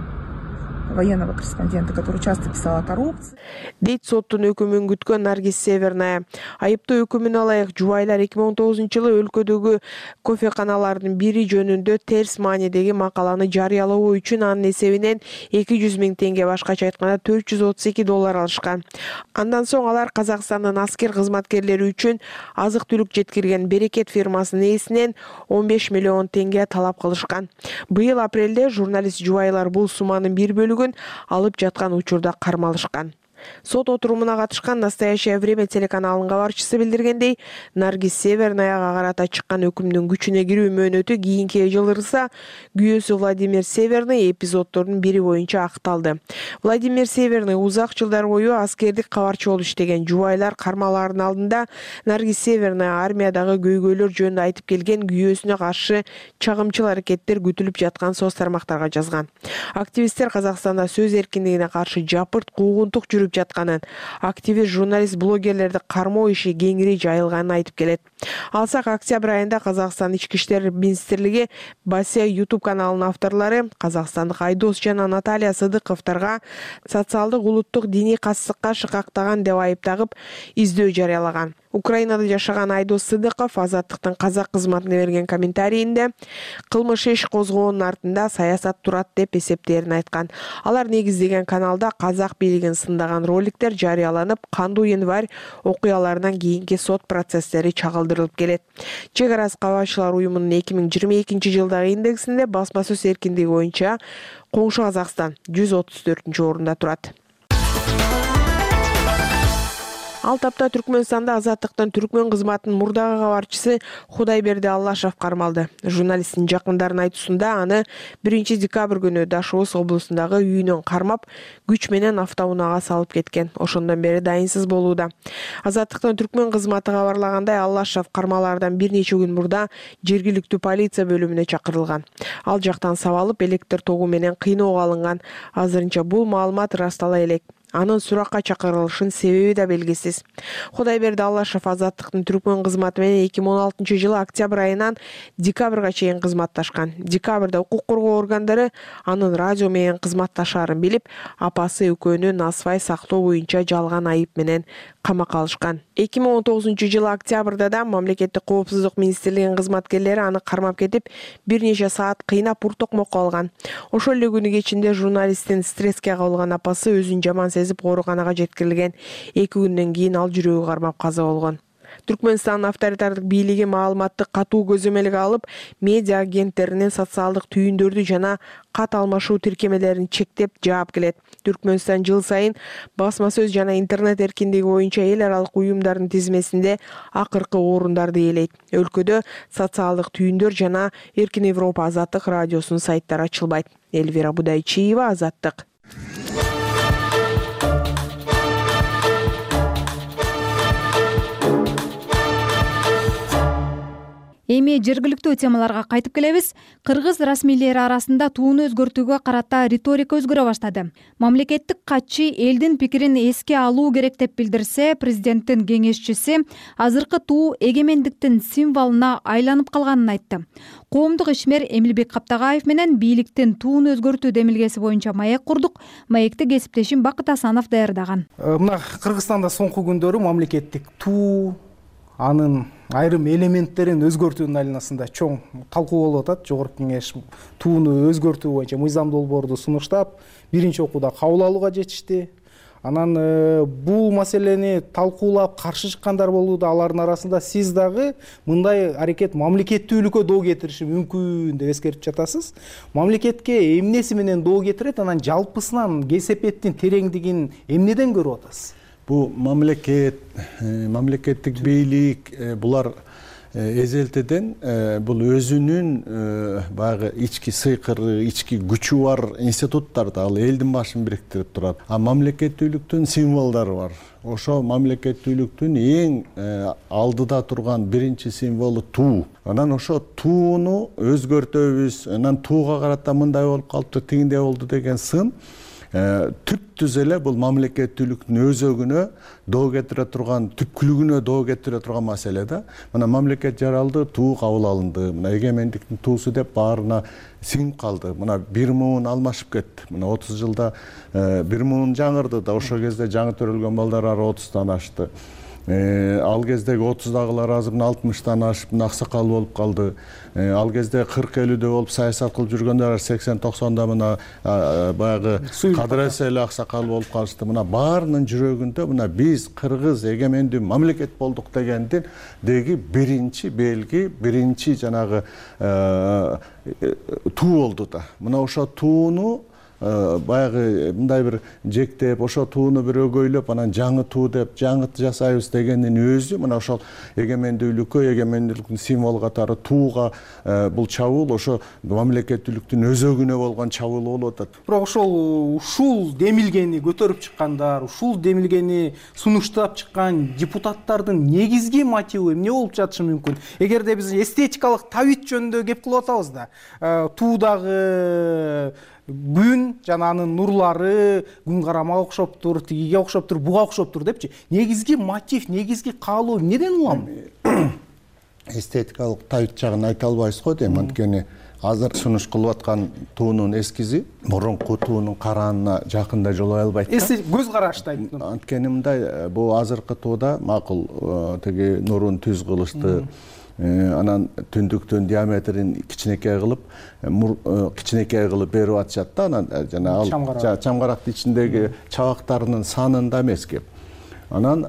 военного корреспондента, который часто писал о коррупции. Дейт соттун өкүмүн күткөн Наргиз Северная. Айыптоо өкүмүнө ылайык жубайлар 2019 жылы өлкөдөгү кофеканалардын бири жөнүндө терс маанидеги макаланы жарыялоо үчүн анын эсебинен 200 000 теңге, башкача айтканда $432 алышкан. Андан соң алар Казакстандын аскер кызматкерлери үчүн азык түлүк жеткирген Берекет фирмасынын ээсинен 15 миллион теңге талап кылышкан. Быйыл апрелде журналист жубайлар бул сумманын бир бөлүгүн алып жаткан учурда кармалышкан. Сот отурумуна катышкан «Настоящее время» телеканалынын кабарчысы билдиргендей, Наргиз Севернаяга карата чыккан өкүмдүн күчүнө кирүү мөөнөтү кийинки жылдырса, күйөөсү Владимир Северный эпизоддордун бири боюнча акталды. Владимир Северный узак жылдар бою аскердик кабарчы болуп иштеген. Жубайлар кармалаарынын алдында Наргиз Северная армиядагы көйгөйлөр жөнүндө айтып келген, күйөөсүнө каршы чагымчыл аракеттер күтүлүп жаткан соц тармактарга жазган. Активисттер Казакстанда сөз эркиндигине каршы жапырт куугунтук жүрүп жатканын, активист журналист блогерлерди кармоо иши кеңири жайылганын айтып келет. Алсак, октябрь айында Казакстан ички иштер министрлиги Басия YouTube каналынын авторлору казакстандык Айдос жана Наталья Сыдыковторго социалдык улуттук диний катсыздыкка шыкактаган деп айыптагып издөө жарыялаган. Украинада жашаган Айдос Сыдыков Азаттыктын казак кызматына берген комментарийинде кылмыш иш козгоонун артында саясат турат деп эсептээрин айткан. Алар негиздеген каналда казак бийлигин сындаган роликтер жарыяланып, кандуу январь окуяларынан кийинки сот процесстери чагылдырылып келет. Чек арасы кабарчылар уюмунун 2022-жылдагы индексинде басма сөз эркиндиги боюнча коңшу Казакстан 134-орунда турат. Ал тапта Түркмөнстанда Азаттыктын түркмөн кызматынын мурдагы кабарчысы Худайберди Аллашев кармалды. Журналисттин жакындарынын айтуусунда аны 1-декабрь күнү Дашоос облусундагы үйүнөн кармап, күч менен автоунаага салып кеткен. Ошондон бери дайынсыз болууда. Азаттыктын түркмөн кызматы кабарлагандай, Аллашев кармалаардан бир нече күн мурда жергиликтүү полиция бөлүмүнө чакырылган. Ал жактан сабалып, электр тогу менен кыйноого алынган. Азырынча бул маалымат ырастала элек. Анын суракка чакырылышынын себеби да белгисиз. Худайберди Аллашев Азаттыктын түркмөн кызматы менен 2016-жылы октябрь айынан декабрга чейин кызматташкан. Декабрда укук коргоо органдары анын радио менен кызматташаарын билип, апасы экөөнү насыбай сактоо боюнча жалган айып менен камакка алышкан. 2019-жылы октябрда да мамлекеттик коопсуздук министрлигинин кызматкерлери аны кармап кетип, бир нече саат кыйнап ур-токмокко алган. Ошол эле күнү кечинде журналисттин стресске кабылган апасы өзүн жаман сезип ооруканага жеткирилген. 2 күндөн кийин ал жүрөгү кармап каза болгон. Түркмөнстандын авторитардык бийлиги маалыматты катуу көзөмөлгө алып, медиа агенттеринин социалдык түйүндөрдү жана кат алмашуу тиркемелерин чектеп жаап келет. Түркмөнстан жыл сайын басма сөз жана интернет эркиндиги боюнча эл аралык уюмдардын тизмесинде акыркы орундарды ээлейт. Өлкөдө социалдык түйүндөр жана Эркин Европа Азаттык радиосунун сайттары ачылбайт. Элвира Будайчиева, Азаттык. Эми жергиликтүү темаларга кайтып келебиз. Кыргыз расмийлери арасында тууну өзгөртүүгө карата риторика өзгөрө баштады. Мамлекеттик катчы элдин пикирин эске алуу керек деп билдирсе, президенттин кеңешчиси азыркы туу эгемендиктин символуна айланып калганын айтты. Коомдук ишмер Эмилбек Каптагаев менен бийликтин тууну өзгөртүү демилгеси боюнча маек курдук. Маекти кесиптешим Бакыт Асанов даярдаган. Мына Кыргызстанда соңку күндөрү мамлекеттик туу, анын айрым элементтерин өзгөртүүнүн айланасында чоң талкуу болуп атат. Жогорку кеңеш тууну өзгөртүү боюнча мыйзам долбоорду сунуштап, биринчи окууда кабыл алууга жетишти. Анан бул маселени талкуулап каршы чыккандар болууда. Алардын арасында сиз дагы мындай аракет мамлекеттүүлүккө доо кетириши мүмкүн деп эскертип жатасыз. Мамлекетке эмнеси менен доо кетирет, анан жалпысынан кесепеттин тереңдигин эмнеден көрүп атасыз? Бу мамлекеттик бийлик булар эзелтеден бул өзүнүн баягы ички сыйкыры, ички күчү бар институттарды, ал элдин башын бириктирип турат. А мамлекеттүүлүктүн символдору бар. Ошо мамлекеттүүлүктүн эң алдыда турган биринчи символу туу. Анан ошо тууну өзгөртөбүз, анан тууга карата мындай болуп калыптыр, тигиндей болду деген сын түп-түз эле бул мамлекеттүүлүктүн өзөгүнө доо кетире турган, түпкүлүгүнө доо кетире турган маселе да. Мына мамлекет жаралды, туу кабыл алынды. Мына эгемендиктин туусу деп баарына сиңип калды. Мына бир муун алмашып кетти. Мына 30 жылда бир муун жаңырды да, ошол кезде жаңы төрөлгөн балдар 30-тан ашты. Ал кездеги 30-дагылар азыр 60-тан ашып аксакал болуп калды. Ал кезде 40-50-дө болуп саясат кылып жүргөндөр 80-90да мына баягы Кадыр Эсел аксакал болуп калышты. Мына баарынын жүрөгүндө мына биз кыргыз эгемендүү мамлекет болдук дегендеги биринчи белги, биринчи жанагы туу болду да. Мына ошо тууну баягы мындай бир жектеп, ошо тууну бир өгөйлөп, анан жаңы туу деп жаңы жасайбыз дегендин өзү мына ошол эгемендүүлүктүн символу катары тууга бул чабуул ошо мамлекеттүүлүктүн өзөгүнө болгон чабуул болуп атат. Бирок ушул демилгени көтөрүп чыккандар, ушул демилгени сунуштап чыккан депутаттардын негизги мотиви эмне болуп жатышы мүмкүн? Эгерде биз эстетикалык табит жөнүндө кеп кылып атабыз да, туудагы күн жана анын нурлары күн карамага окшоптур, тигиге окшоптур, буга окшоптур депчи. Негизги мотив, негизги каалоо эмнеден улам? Эстетикалык табит жагын айта албайбыз го дейм. Анткени азыр сунуш кылып аткан туунун эскизи мурунку туунун караанына жакында жолой албайт да. Көз караштай. Анткени мындай, бул азыркы тууда макул тиги нурун түз кылышты, анан түндүктүн диаметрин кичинекей кылып берип атышат да. Анан жана ал чамгарактын ичиндеги чабактарынын санында эмес кеп. Анан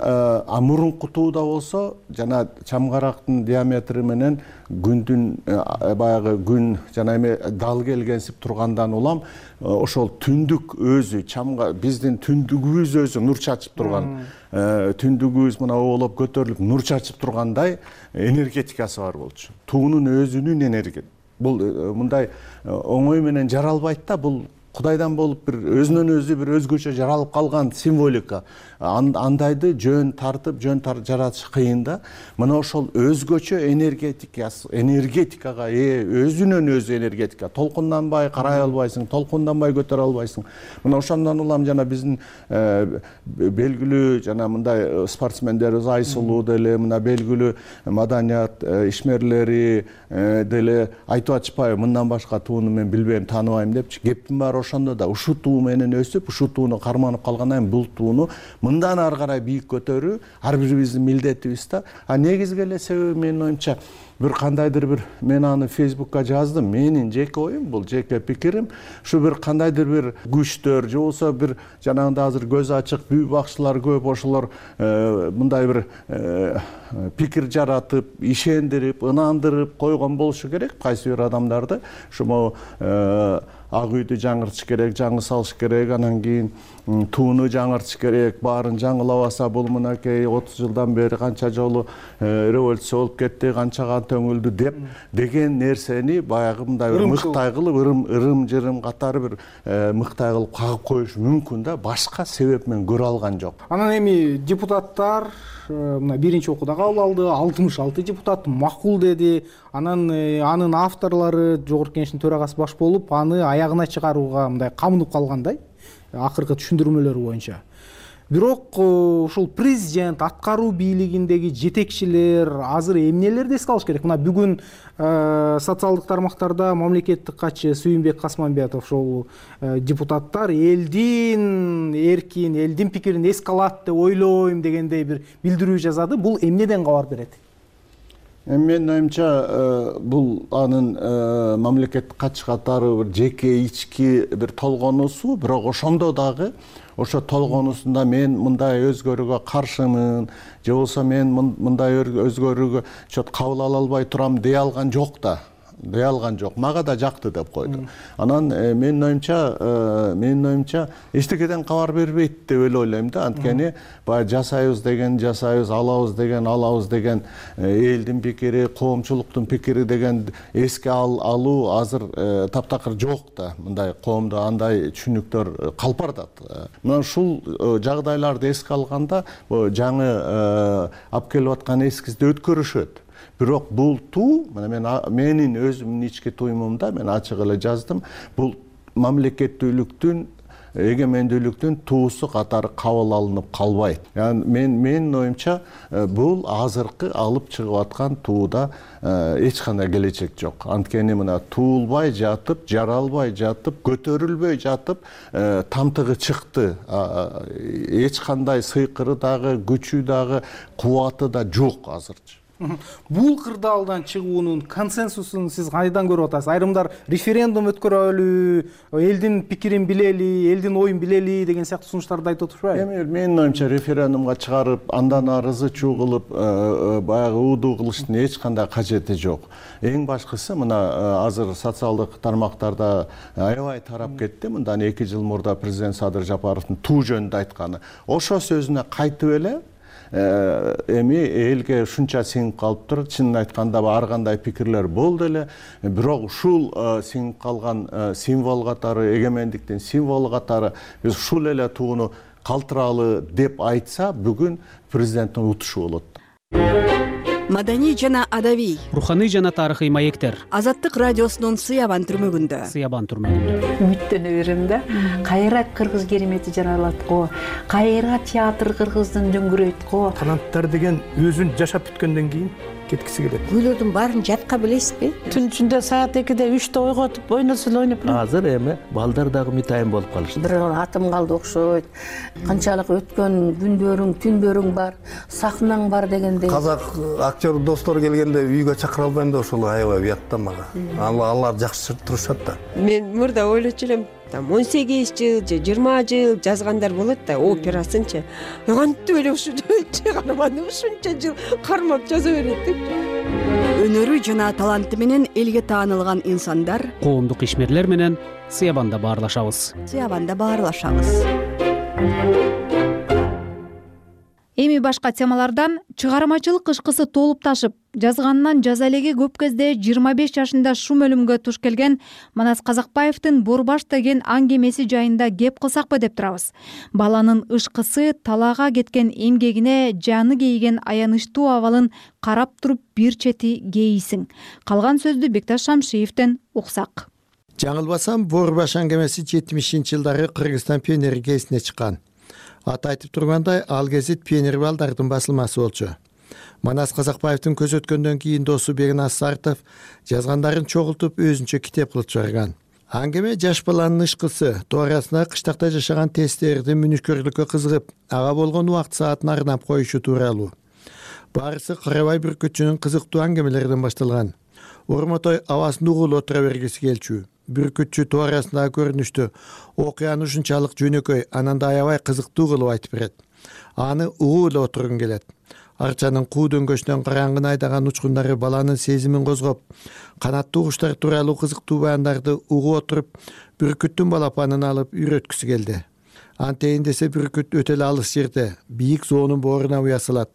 мурунку тууда болсо жана чамгарактын диаметри менен күндүн баягы күн жана эме дал келгенсип тургандан улам ошол түндүк өзү биздин түндүгүбүз өзү нур чачып турган, түндүгүбүз мына оолоп көтөрүлүп нур чачып тургандай энергетикасы бар болчу. Туунун өзүнүн энергетикасы. Бул мындай оңой менен жаралбайт да, бул Кудайдан болуп бир өзүнөн өзү бир өзгөчө жаралып калган символика. Андайды жөн жаратыш кыйын да. Мына ошол өзгөчө энергетикага өзүнөн өзү энергетика. Толкунданбай карай албайсың, толкунданбай көтөрө албайсың. Мына ошондон улам жана биздин белгилүү жана мындай спортсмендерибиз Айсулуу деле, мына белгилүү маданият ишмерлери деле айтып атышпайбы, мындан башка тууну мен билбейм, тааныбайм депчи. Кептин баары ошондо да ушул туу менен өсүп, ушул тууну карманып калгандан кийин бул тууну мындан ары карай бийик көтөрүү ар бирибиздин милдетибиз да. Негизги эле себеби менин оюмча бир кандайдыр бир, мен аны Фейсбукка жаздым, менин жеке оюм, бул жеке пикирим, ушу бир кандайдыр бир күчтөр же болбосо бир жанагындай азыр көз ачык бүй бакчылар көп, ошолор мындай бир пикир жаратып, ишендирип, ынандырып койгон болушу керек кайсы бир адамдарды. Ушул ак үйдү жаңыртыш керек, жаңы салыш керек, анан кийин тууну жаңыртыш керек, баарын жаңылабаса бул мынакей 30 жылдан бери канча жолу революция болуп кетти, канча кан төңүлдү деген нерсени баягы мындай мыктай кылып, ырым-жырым катары бир мыктай кылып кагып коюш мүмкүн да, башка себеп мен көрө алган жок. Анан эми депутаттар мына биринчи окууда кабыл алды, 66 депутат макул деди. Анан анын авторлору жогорку кеңештин төрагасы баш болуп, аны аягына чыгарууга мындай камынып калгандай, акыркы түшүндүрмөлөр боюнча. Бирок ушул президент, аткаруу бийлигиндеги жетекчилер азыр эмнелерди эске алыш керек? Мына бүгүн социалдык тармактарда мамлекеттик катчы Сүйүнбек Касманбетов ошол депутаттар элдин эркин, элдин пикирин эске алат деп ойлойм дегендей бир билдирүү жазады. Бул эмнеден кабар берет? Менин оюмча бул анын мамлекеттик катчы катары бир жеке ички бир толгонусу, бирок ошондо дагы ошо толгонусунда мен мындай өзгөрүүгө каршымын, же болбосо мен мындай өзгөрүүгө кабыл ала албай турам дей алган жок да. Дей алган жок. Мага да жакты деп койду. Анан менин оюмча эчтекеден кабар бербейт деп эле ойлойм да. Анткени баягы жасайбыз деген жасайбыз, алабыз деген элдин пикири, коомчулуктун пикири деген эске алуу азыр таптакыр жок да. Мындай коомдо андай түшүнүктөр калпардат. Мына ушул жагдайларды эске алганда жаңы алып келип аткан эскизди өткөрүшөт. Бирок бул туу, менин өзүмдүн ички туюмумда мен ачык эле жаздым, бул мамлекеттүүлүктүн, эгемендүүлүктүн туусу катары кабыл алынып калбайт. Менин оюмча бул азыркы алып чыгып аткан тууда эч кандай келечек жок. Анткени мына туулбай жатып, жаралбай жатып, көтөрүлбөй жатып тамтыгы чыкты. Эч кандай сыйкыры дагы, күчү дагы, кубаты да жок азырчы. Бул кырдаалдан чыгуунун консенсусун сиз кайдан көрүп атасыз? Айрымдар референдум өткөрөлү, элдин пикирин билели, элдин оюн билели деген сыяктуу сунуштарды айтып отурушпайбы? Эми менин оюмча референдумга чыгарып, андан ары ызы-чуу кылып, баягы уудуу кылыштын эч кандай кажети жок. Эң башкысы мына азыр социалдык тармактарда аябай тарап кетти. Мындан 2 жыл мурда президент Садыр Жапаровдун туу жөнүндө айтканы. Ошо сөзүнө кайтып эле эми элге ушунча сиңип калыптыр. Чынын айтканда ар кандай пикирлер болду эле, бирок ушул сиңип калган символ катары, эгемендиктин символу катары биз ушул эле тууну калтыралы деп айтса, бүгүн президенттин утушу болот. Маданий жана адабий, руханий жана тарыхый маектер. Азаттык радиосунун Сыябан түрмөгүндө. Үмүттөнө берем да. Кайра кыргыз керемети жаралат го, кайра театр кыргыздын дөңгүрөйт го. Канаттар деген өзүн жашап бүткөндөн кийин кеткиси келет. Күйлөрдүн баарын жатка билесизби? Түн ичинде саат 2-де 3-те ойготуп ойносол ойноп. Азыр эми балдар дагы мытайын болуп калышты. Бир атым калды окшойт. Канчалык өткөн күндөрүң, түндөрүң бар, сахнаң бар дегендей. Казак актер достор келгенде үйгө чакыра албайм да ошол аябай уят да мага. Алар жакшы турушат да. Мен мурда ойлочу элем, 18 жыл же 20 жыл жазгандар болот да, операсынчы. Кантип эле ушу чыгарманы ушунча жыл кармап жаза берет деп. Өнөрү жана таланты менен элге таанылган инсандар коомдук ишмерлер менен Сыябанда баарлашабыз. Эми башка темалардан чыгармачылык кышкысы толуп ташып, жазганынан жаза элеги көп кезде 25 жашында шум өлүмгө туш келген Манас Казакбаевдин Борбаш деген аңгемеси жайында кеп кылсакпы деп турабыз. Баланын ышкысы, талаага кеткен эмгегине жаны кейиген аянычтуу абалын карап туруп бир чети кейисиң. Калган сөздү Бекташ Шамшиевден уксак. Жаңылбасам, Борбаш аңгемеси 70-жылдары Кыргызстан пионери кезине чыккан. Аты айтып тургандай, ал гезит пионер балдардын басылмасы болчу. Манас Казакбаевдин көз өткөндөн кийин досу Бегнас Сартов жазгандарын чогултуп өзүнчө китеп кылып чыгарган. Аңгеме жаш баланын ышкысы, туурасында кыштакта жашаган тестердин мүнүшкөрлүккө кызыгып, ага болгон убакыт саатын арнап коюшу тууралуу. Баарысы Карабай бүркүтчүнүн кызыктуу аңгемелеринен башталган. Ормотой абасын угулуп отура бергиси келчү. Бүркүтчү туурасындагы көрүнүштү окуяны ушунчалык жөнөкөй, анан да аябай кызыктуу кылып айтып берет. Аны угулуп отургун келет. Арчанын куу дөңгөчүнөн караңгыны айдаган учкундары баланын сезимин козгоп, канаттуу куштар тууралуу кызыктуу баяндарды угуп отуруп, бүркүттүн балапанын алып үйрөткүсү келди. Антейин десе бүркүт өтө эле алыс жерде, бийик зоонун бооруна уя салат.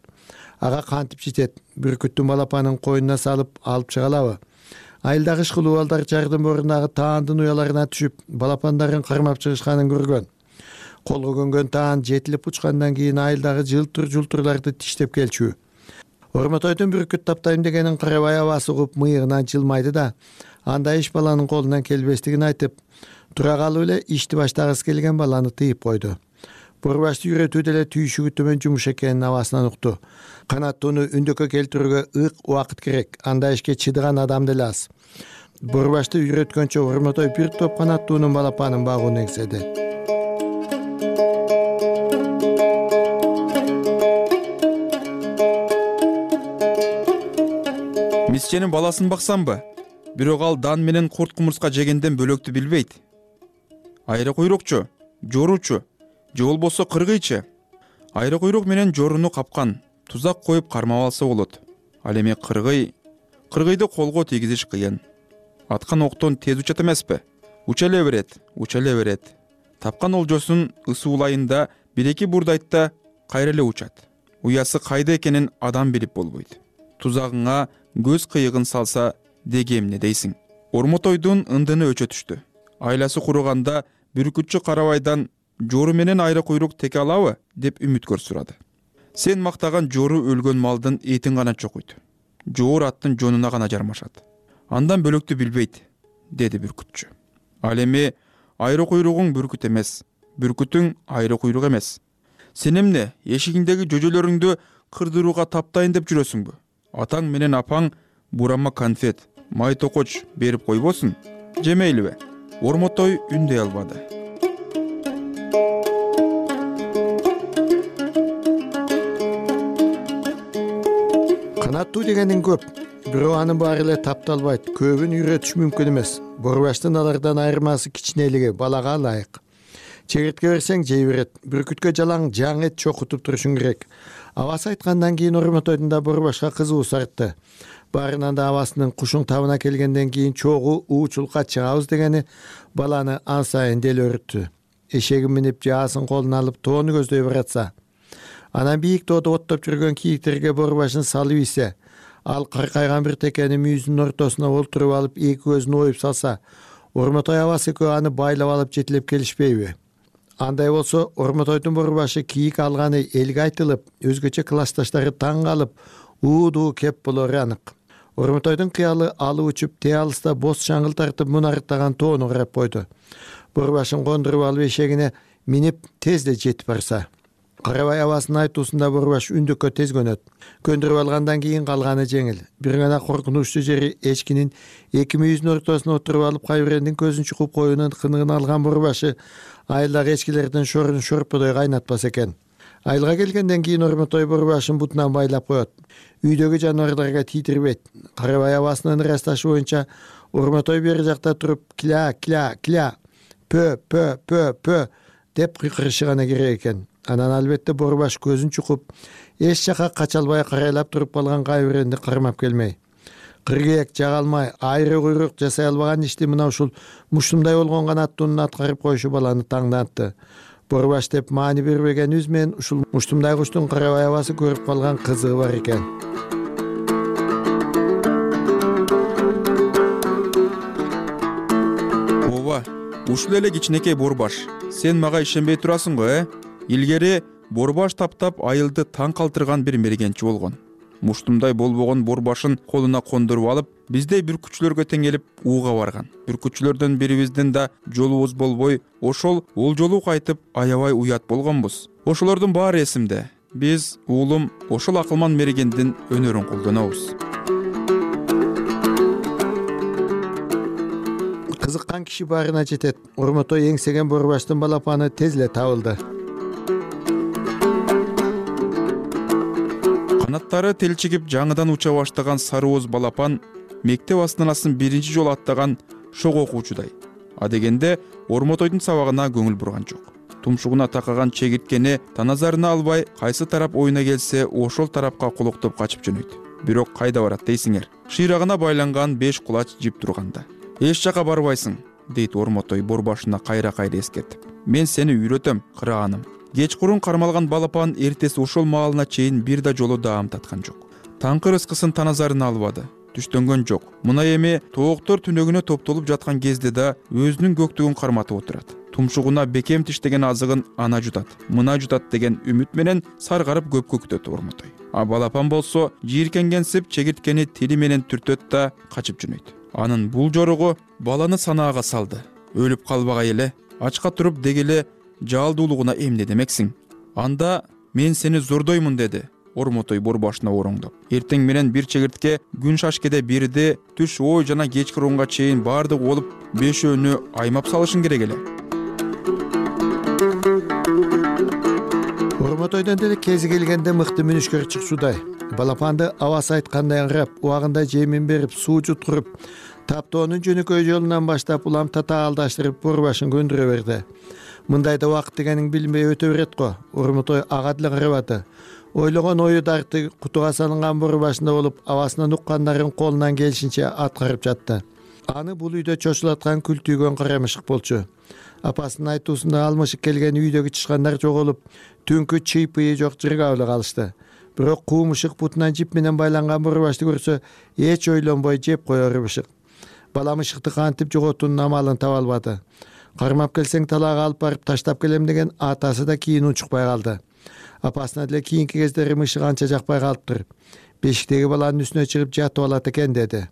Ага кантип жетет? Бүркүттүн балапанын койнуна салып алып чыга алабы? Айылдагы ышкылуу балдар жардын боорунагы таандын уяларына түшүп, балапандарын кармап чыгышканын көргөн. Колго көнгөн таан жетилип учкандан кийин айылдагы жылтыр-жултурларды тиштеп келчү. Ормотойдун бүркүт таптайм дегенин Карабай абасы угуп мыйыгынан жылмайды да, андай иш баланын колунан келбестигин айтып, тура калып эле ишти баштагысы келген баланы тыйып койду. Борбашты үйрөтүү деле түйшүгү төмөн жумуш экенин абасынан укту. Канаттууну үндөккө келтирүүгө ык убакыт керек, андай ишке чыдаган адам деле аз. Борбашты үйрөткөнчө Ормотой бир топ канаттуунун балапанын багууну эңседи. Мисченин баласын баксамбы? Бирок ал дан менен курт кумурска жегенден бөлөктү билбейт. Айры куйрукчу, жоручу, же болбосо кыргыйчы. Айры куйрук менен жоруну капкан, тузак коюп кармап алса болот. Ал эми кыргыйды колго тийгизиш кыйын. Аткан октон тез учат эмеспи? Учале берет. Тапкан олжосун ысуулайында бир-эки бурдайтта кайра эле учат. Уясы кайда экенин адам билип болбойт. Тузагыңа көз кыйыгын салса деги эмне дейсиң? Ормотойдун ындыны өчө түштү. Айласы куруганда бүркүтчү Карабайдан жору менен айры куйрук теке алабы деп үмүткөр сурады. Сен мактаган жору өлгөн малдын этин гана чокуйт. Жоор аттын жонуна гана жармашат. Андан бөлөктү билбейт, деди бүркүтчү. Ал эми айры куйругуң бүркүт эмес, бүркүтүң айры куйрук эмес. Сен эмне эшигиңдеги жөжөлөрүңдү кырдырууга таптайын деп жүрөсүңбү? Атаң менен апаң бурама конфет, май токоч берип койбосун? Жемейлиби? Ормотой үндөй албады. Канаттуу дегенин көп, бирок анын баары эле тапталбайт, көбүн үйрөтүш мүмкүн эмес. Борбаштын алардан айырмасы кичинелиги, балага ылайык. Чегиртке берсең жей берет, бүркүткө жалаң жаң эт чокутуп турушуң керек. Абасы айткандан кийин Ормотойдун да Борбашка кызуусу артты. Баарынан да абасынын кушуң табына келгенден кийин чогуу уучулукка чыгабыз дегени баланы ан сайын делөрүттү. Эшегин минип же асын колуна алып тоону көздөй баратса, анан бийик тоодо оттоп жүргөн кийиктерге Борбашын салып ийсе, ал каркайган бир текени мүйүзүнүн ортосуна олтуруп алып эки көзүн оюп салса, Ормотой абасы экөө аны байлап алып жетилеп келишпейби? Андай болсо, Ормотойдун Борбашы кийик алганы элге айтылып, өзгөчө классташтары таң калып, уудуу кеп болору анык. Ормотойдун кыялы алып учуп, те алыста боз шаңгыл тартып мунарыктаган тоону карап койду. Борбашын кондуруп алып эшегине минип тезде жетип барса, Карабай абасынын айтуусунда Борбаш үндүккө тез көнөт. Көндүрүп алгандан кийин калганы жеңил. Бир гана коркунучтуу жери эчкинин эки мүйүзүнүн ортосуна отуруп алып Кайберендин көзүн чукуп коюунун кыныгын алган Борбашы айылдагы эчкилердин шорун шорподой кайнатпас экен. Айылга келгенден кийин Ормотой Борбашын бутунан байлап коет. Үйдөгү жаныбарларга тийдирбейт. Карабай абасынын ырасташы боюнча Ормотой бери жакта туруп кля кля кля пө деп кыйкырышы гана керек экен. Анан албетте Борбаш көзүн чукуп, эч жака кача албай карайлап туруп калган Кайберенди кармап келмей. Кыргыек жага алмай, айры куйрук жасай албаган ишти мына ушул муштумдай болгон канаттуунун аткарып коюшу баланы таңдантты. Борбаш деп маани бербегенибиз менен ушул муштумдай куштун Карабай абасы көрүп калган кызыгы бар экен. Ооба, ушул эле кичинекей Борбаш. Сен мага ишенбей турасың го, Илгери Борбаш таптап айылды таң калтырган бир мергенчи болгон. Муштумдай болбогон Борбашын колуна кондуруп алып, биздей бүркүтчүлөргө теңелип ууга барган. Бүркүтчүлөрдөн бирибиздин да жолубуз болбой, ошол ол жолу кайтып аябай уят болгонбуз. Ошолордун баары эсимде. Биз уулум ошол акылман мергендин өнөрүн колдонобуз. Кызыккан киши баарына жетет. Ормотой эңсеген Борбаштын балапаны тез эле табылды. Канаттары телчигип жаңыдан уча баштаган сары ооз балапан мектеп астанасын биринчи жолу аттаган шок окуучудай. Адегенде Ормотойдун сабагына көңүл бурган жок. Тумшугуна такаган чегирткени таназарына албай, кайсы тарап оюна келсе, ошол тарапка кулуктуп качып жөнөйт. Бирок кайда барат дейсиңер? Шыйрагына байланган 5 кулач жип турганда. Эч жака барбайсың, дейт Ормотой Борбашына кайра-кайра эскертип. Мен сени үйрөтөм, кырааным. Кечкурун кармалган балапан эртеси ошол маалына чейин бир да жолу даам таткан жок. Таңкы рыскысын таназарына албады. Түштөнгөн жок. Мына эми тооктор түнөгүнө топтолуп жаткан кезде да өзүнүн көктүгүн карматып отурат. Тумшугуна бекем тиштеген азыгын ана жутат, мына жутат деген үмүт менен саргарып көпкө күтөт Ормотой. А балапан болсо жийиркенгенсип чегирткени тили менен түртөт да качып жөнөйт. Анын бул жоругу баланы санаага салды. Өлүп калбагай эле, ачка туруп дегеле жалдуулугуна эмне демексиң? Анда мен сени зордоймун, деди Ормотой Борбашына ороңдоп. Эртең менен бир чегиртке күн шашкеде бирди, түш ой жана кечки рунга чейин бардык болуп, бешөөнү аймап салышың керек эле. Ормотойдон деле кези келгенде мыкты мүнүшкөр чыксуудай. Балапанды абасы айткандай аңырап, убагында жемин берип, суу жуткуруп, таптоонун жөнөкөй жолунан баштап улам тата алдаштырып Борбашын көндүрө берди. Мындайда убакыт дегениң билинбей өтө берет го. Ормотой ага деле карабады. Ойлогон ою дарты кутуга салынган Борбашында болуп, абасынын уккандарын колунан келишинче аткарып жатты. Аны бул үйдө чочулаткан күлтүйгөн кара мышык болчу. Апасынын айтуусунда ал мышык келген үйдөгү тышкандар жоголуп, түнкү чыйпыйы жок жырга эле калышты. Бирок куу мышык бутунан жип менен байланган Борбашты көрсө, эч ойлонбой жеп коёр мышык. Бала мышыкты кантип жоготуунун амалын таба албады. Кармап келсең талаага алып барып таштап келем деген атасы да кийин унчукпай калды. Апасына деле кийинки кездери мышык анча жакпай калыптыр. Бешиктеги баланын үстүнө чыгып жатып алат экен, деди.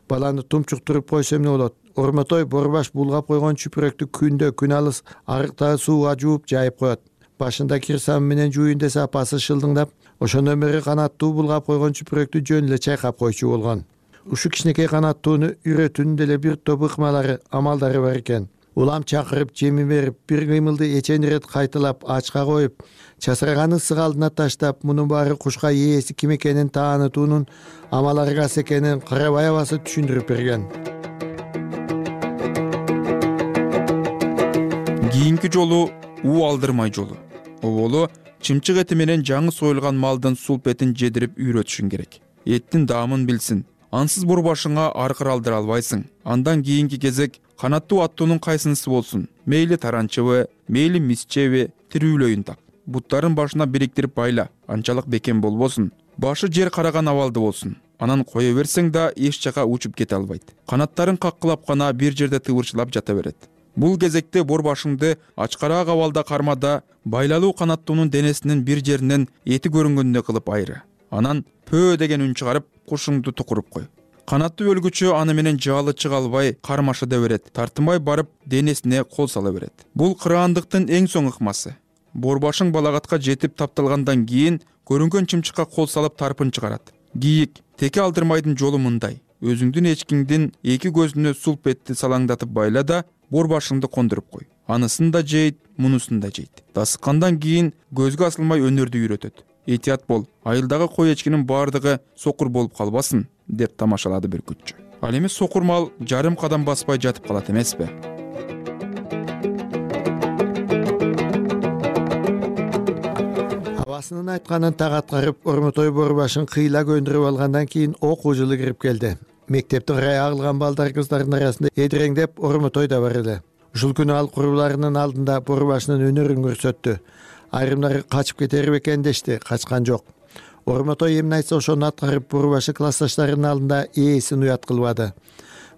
Баланы тумчуктуруп койсо эмне болот? Ормотой Борбаш булгап койгон чүпүрөктү күндө күн алыс арыктагы сууга жууп жайып коет. Башында кирсам менен жууйун десе апасы шылдыңдап, ошондон бери канаттуу булгап койгон чүпүрөктү жөн эле чайкап койчу болгон. Ушу кичинекей канаттууну үйрөтүүнүн деле бир топ ыкмалары, амалдары бар экен. Улам чакырып, жеми берип, бир кыймылды эчен ирет кайталап, ачка коюп, часыраган ысык алдына таштап, мунун баары кушка ээси ким экенин таанытуунун амал аргасы экенин Карабай абасы түшүндүрүп берген. Кийинки жолу уу алдырмай жолу. Оболу чымчык эти менен жаңы союлган малдын сулпетин жедирип үйрөтүшүң керек. Эттин даамын билсин. Ансыз Борбашыңа аркыр алдыра албайсың. Андан кийинки кезек канаттуу аттуунун кайсынысы болсун, мейли таранчыбы, мейли мисчеби, тирүүлөйүн так. Буттарын башына бириктирип байла, анчалык бекем болбосун. Башы жер караган абалды болсун. Анан кое берсең да эч жака учуп кете албайт. Канаттарын каккылап гана бир жерде тыбырчылап жата берет. Бул кезекте Борбашыңды ачкараак абалда кармада байлалуу канаттуунун денесинин бир жеринен эти көрүнгөндөй кылып айры. Анан пөө деген үн чыгарып, кушуңду тукуруп кой. Канаттуу өлгүчү аны менен жаалы чыга албай кармашыда берет. Тартынбай барып денесине кол сала берет. Бул кыраандыктын эң соң ыкмасы. борбашың балагатка жетип тапталгандан кийин көрүнгөн чымчыкка кол салып тарпын чыгарат. Кийик, теке алдырмайдын жолу мындай. Өзүңдүн эчкиңдин эки көзүнө сулпетти салаңдатып байла да борбашыңды кондуруп кой. Анысын да жейт, мунусун да жейт. Дасыккандан кийин көзгө асылмай өнөрдү үйрөтөт. Этият бол, айылдагы кой эчкинин баардыгы сокур болуп калбасын, деп тамашалады бүркүтчү. Ал эми сокур мал жарым кадам баспай жатып калат эмеспи? Абасынын айтканын так аткарып, Ормотой борбашын кыйла көндүрүп алгандан кийин окуу жылы кирип келди. Мектептин рая агылган балдар кыздардын арасында эдиреңдеп Ормотой да бар эле. Ушул күнү ал куруларынын алдында борбашынын өнөрүн көрсөттү. Айрымдары качып кетер бекен дешти, качкан жок. Ормотой эмне айтса ошону аткарып, борбашы классташтарынын алдында ээсин уят кылбады.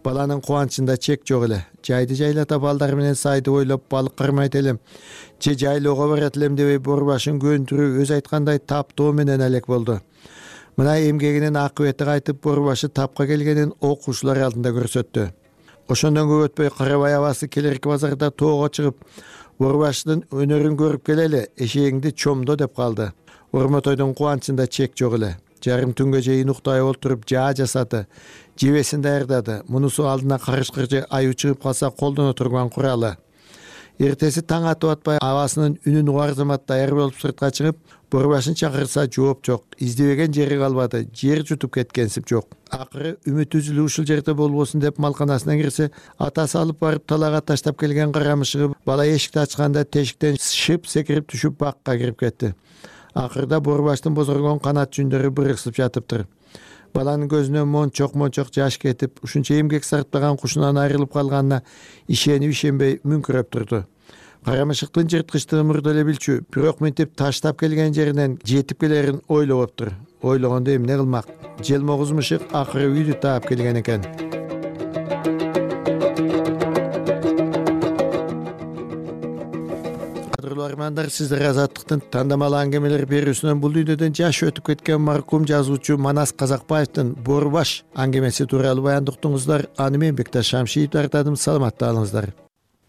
Баланын кубанычында чек жок эле. Жайды жайлата балдар менен сайды ойлоп балык кармайт элем, же жайлоого барат элем дебей борбашын көндүрүү өз айткандай таптоо менен элек болду. Мына эмгегинин акыбети кайтып, борбашы тапка келгенин окуучулар алдында көрсөттү. Ошондон көп өтпөй Карабай абасы келерки базарда тоого чыгып, борбашынын өнөрүн көрүп келели, эшегиңди чомдо деп калды. Ормотойдун кубанычында чек жок эле. Жарым түнгө чейин уктай олтуруп жаа жасады, жебесин даярдады. Мунусу алдына карышкыр же аю чыгып калса колдоно турган куралы. Эртеси таң атып атпай абасынын үнүн угарзамат даяр болуп сыртка чыгып, борбашын чакырса жооп жок, издебеген жери калбады, жер жутуп кеткенсип жок. Акыры үмүт үзүлүп ушул жерде болбосун деп малканасына кирсе, атасы алып барып талага таштап келген карамышыгы бала эшикти ачканда тешиктен шып секирип түшүп бакка кирип кетти. Акырда борбаштын бозоргон канат жүндөрү бырыксып жатыптыр. Баланын көзүнөн мончок жаш кетип, ушунча эмгек сарптаган кушунан айрылып калганына ишенбей мүңкүрөп турду. Карамышыктын жырткычтыгы мурда эле билчү, бирок мынтип таштап келген жеринен жетип келерин ойлоптур. Ойлогондо эмне кылмак? Желмогуз мышык акыры үйдү таап келген экен. Армандар, сиздер Азаттыктын тандамал аңгемелер берүүсүнөн бул дүйнөдөн жашы өтүп кеткен маркум жазуучу Манас Казакбаевдин Борбаш аңгемеси тууралуу баяндыктыңыздар. Аны мен Бекташ Шамшиев тартадым. Саламатта алыңыздар.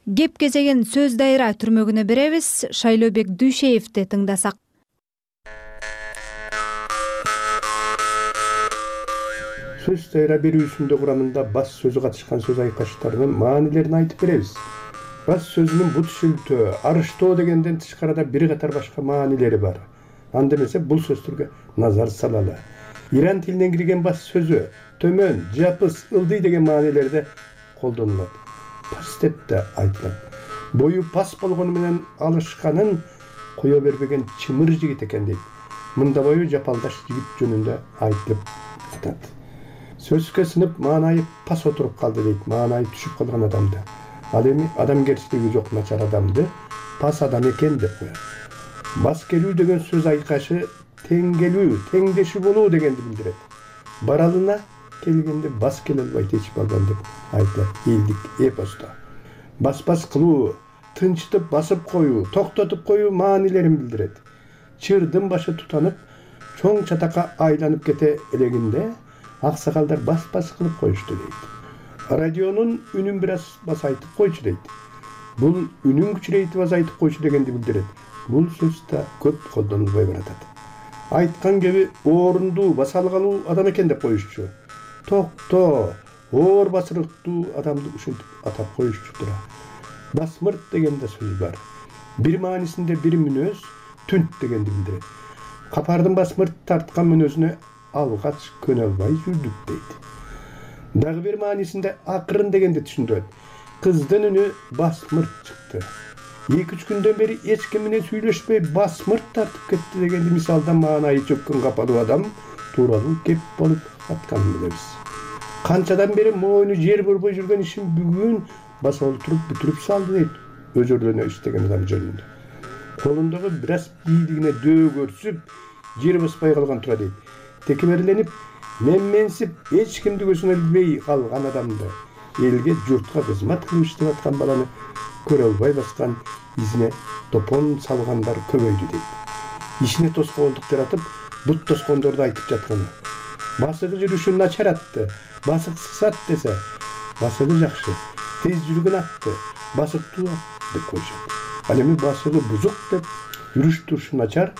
Кеп кезеген сөз дайра түрмөгүнө беребиз. Шайлообек Дүйшеевди тыңдасак. Сөз дайра берүүсүндө курамында бас сөзү катышкан сөз айкаштарынын маанилерин айтып беребиз. Бас сөзүнүн бут шүлтөө, арыштоо дегенден тышкарыда бир катар башка маанилери бар. Анда эмесе бул сөздөргө назар салалы. Иран тилинен кирген бас сөзү төмөн, жапыс, ылдый деген маанилерде колдонулат. Пас деп да айтылат. Бою пас болгону менен алышканын кое бербеген чымыр жигит экен дейт. Мында бою жапалдаш жигит жөнүндө айтылып атат. Сөзгө сынып маанайы пас отуруп калды дейт, маанайы түшүп калган адамды. Ал эми адамгерчилиги жок начар адамды пас адам экен деп коет. Бас келүү деген сөз айкашы тең келүү, теңдешүү болуу дегенди билдирет. Баралына келгенде бас келе албайт эч балдан деп айтылат элдик эпосто. Бас кылуу, тынчтып басып коюу, токтотуп коюу маанилерин билдирет. Чырдын башы тутанып, чоң чатакка айланып кете элегинде аксакалдар бас кылып коюшту дейт. Радионун үнүн бир аз басайтып койчу дейт. Бул үнүн күчүрейтип азайтып койчу дегенди билдирет. Бул сөз да көп колдонулбой баратат. Айткан кеби орунду баса алгалуу адам экен деп коюшчу. Токто, оор басырыктуу адамды ушинтип атап коюшчу тура. Басмырт деген да сөз бар. Бир маанисинде бир мүнөз түнт дегенди билдирет. Капардын басмырт тарткан мүнөзүнө алгач көнө албай жүрдүк дейт. Дагы бир маанисинде акырын дегенди түшүндүрөт. Кыздын үнү басмырт чыкты. 2-3 күндөн бери эч ким менен сүйлөшпөй басмырт тартып кетти дегенди мисалдан маанайы чөккөн капалуу адам тууралуу кеп болуп атканын билебиз. Канчадан бери мойну жер борбой жүргөн ишин бүгүн баса олтуруп бүтүрүп салды дейт. Өзөрлөнө иштеген адам жөнүндө. Колундагы бир аз бийлигине дөө көрсүп, жер баспай калган тура дейт. Текеберленип, менменсип, эч кимди көзүнө илбей калган адамды, элге, журтка кызмат кылып иштеп аткан баланы көрө албай баскан изине топон салгандар көбөйдү дейт. Ишине тоскоолдук жаратып, бут тоскондорду айтып жатканы. Басыгы жүрүшүн начаратты, басык сысат десе, басыгы жакшы, тез жүргөн атты, басыктуу деп коюшат. Ал эми басыгы бузук деп жүрүш турушу начар,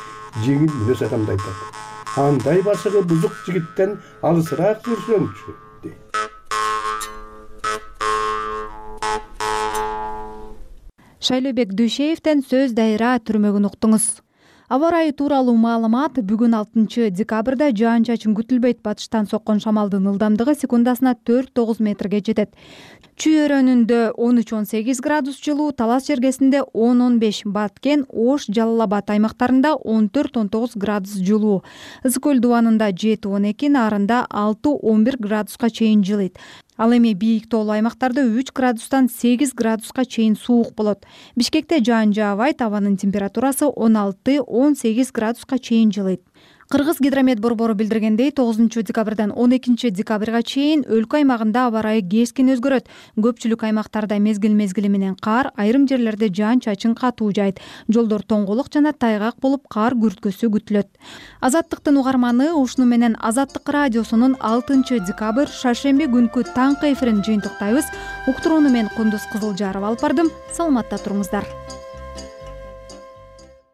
жеңил мүнөз адамды айтат. Андай басыгы бузук жигиттен алысыраак жүрсөңчү дейт. Шайлообек Дүйшеевден сөз дайра түрмөгүн уктуңуз. Аба ырайы тууралуу маалымат. Бүгүн 6 декабрда жаан-чачын күтүлбөйт. Батыштан соккон шамалдын ылдамдыгы секундасына 4-9 метрге жетет. Чүй өрөөнүндө 13-18 градус жылуу, Талас жергесинде 10-15, Баткен, Ош, Жалал Абад аймактарында 14-19 градус жылуу. Ысык көл дубанында 7-12, Нарында 6-11 градуска чейин жылыйт. Ал эми бийик тоолуу аймактарда 3 градустан 8 градуска чейин суук болот. Бишкекте жаан жаабайт, абанын температурасы 16-18 градуска чейин жылыйт. Кыргыз гидромет борбору билдиргендей, 9 декабрдан 12 декабрга чейин өлкө аймагында аба ырайы кескин өзгөрөт. Көпчүлүк аймактарда мезгил менен кар, айрым жерлерде жаан-чачын катуу жайт. Жолдор тоңголук жана тайгак болуп, кар күрткөсү күтүлөт. Азаттыктын угарманы, ушуну менен Азаттык радиосунун 6 декабрь шаршемби күнкү таңкы эфирин жыйынтыктайбыз. Уктурууну мен Кундуз Кызылжарова алып бардым. Саламатта туруңуздар.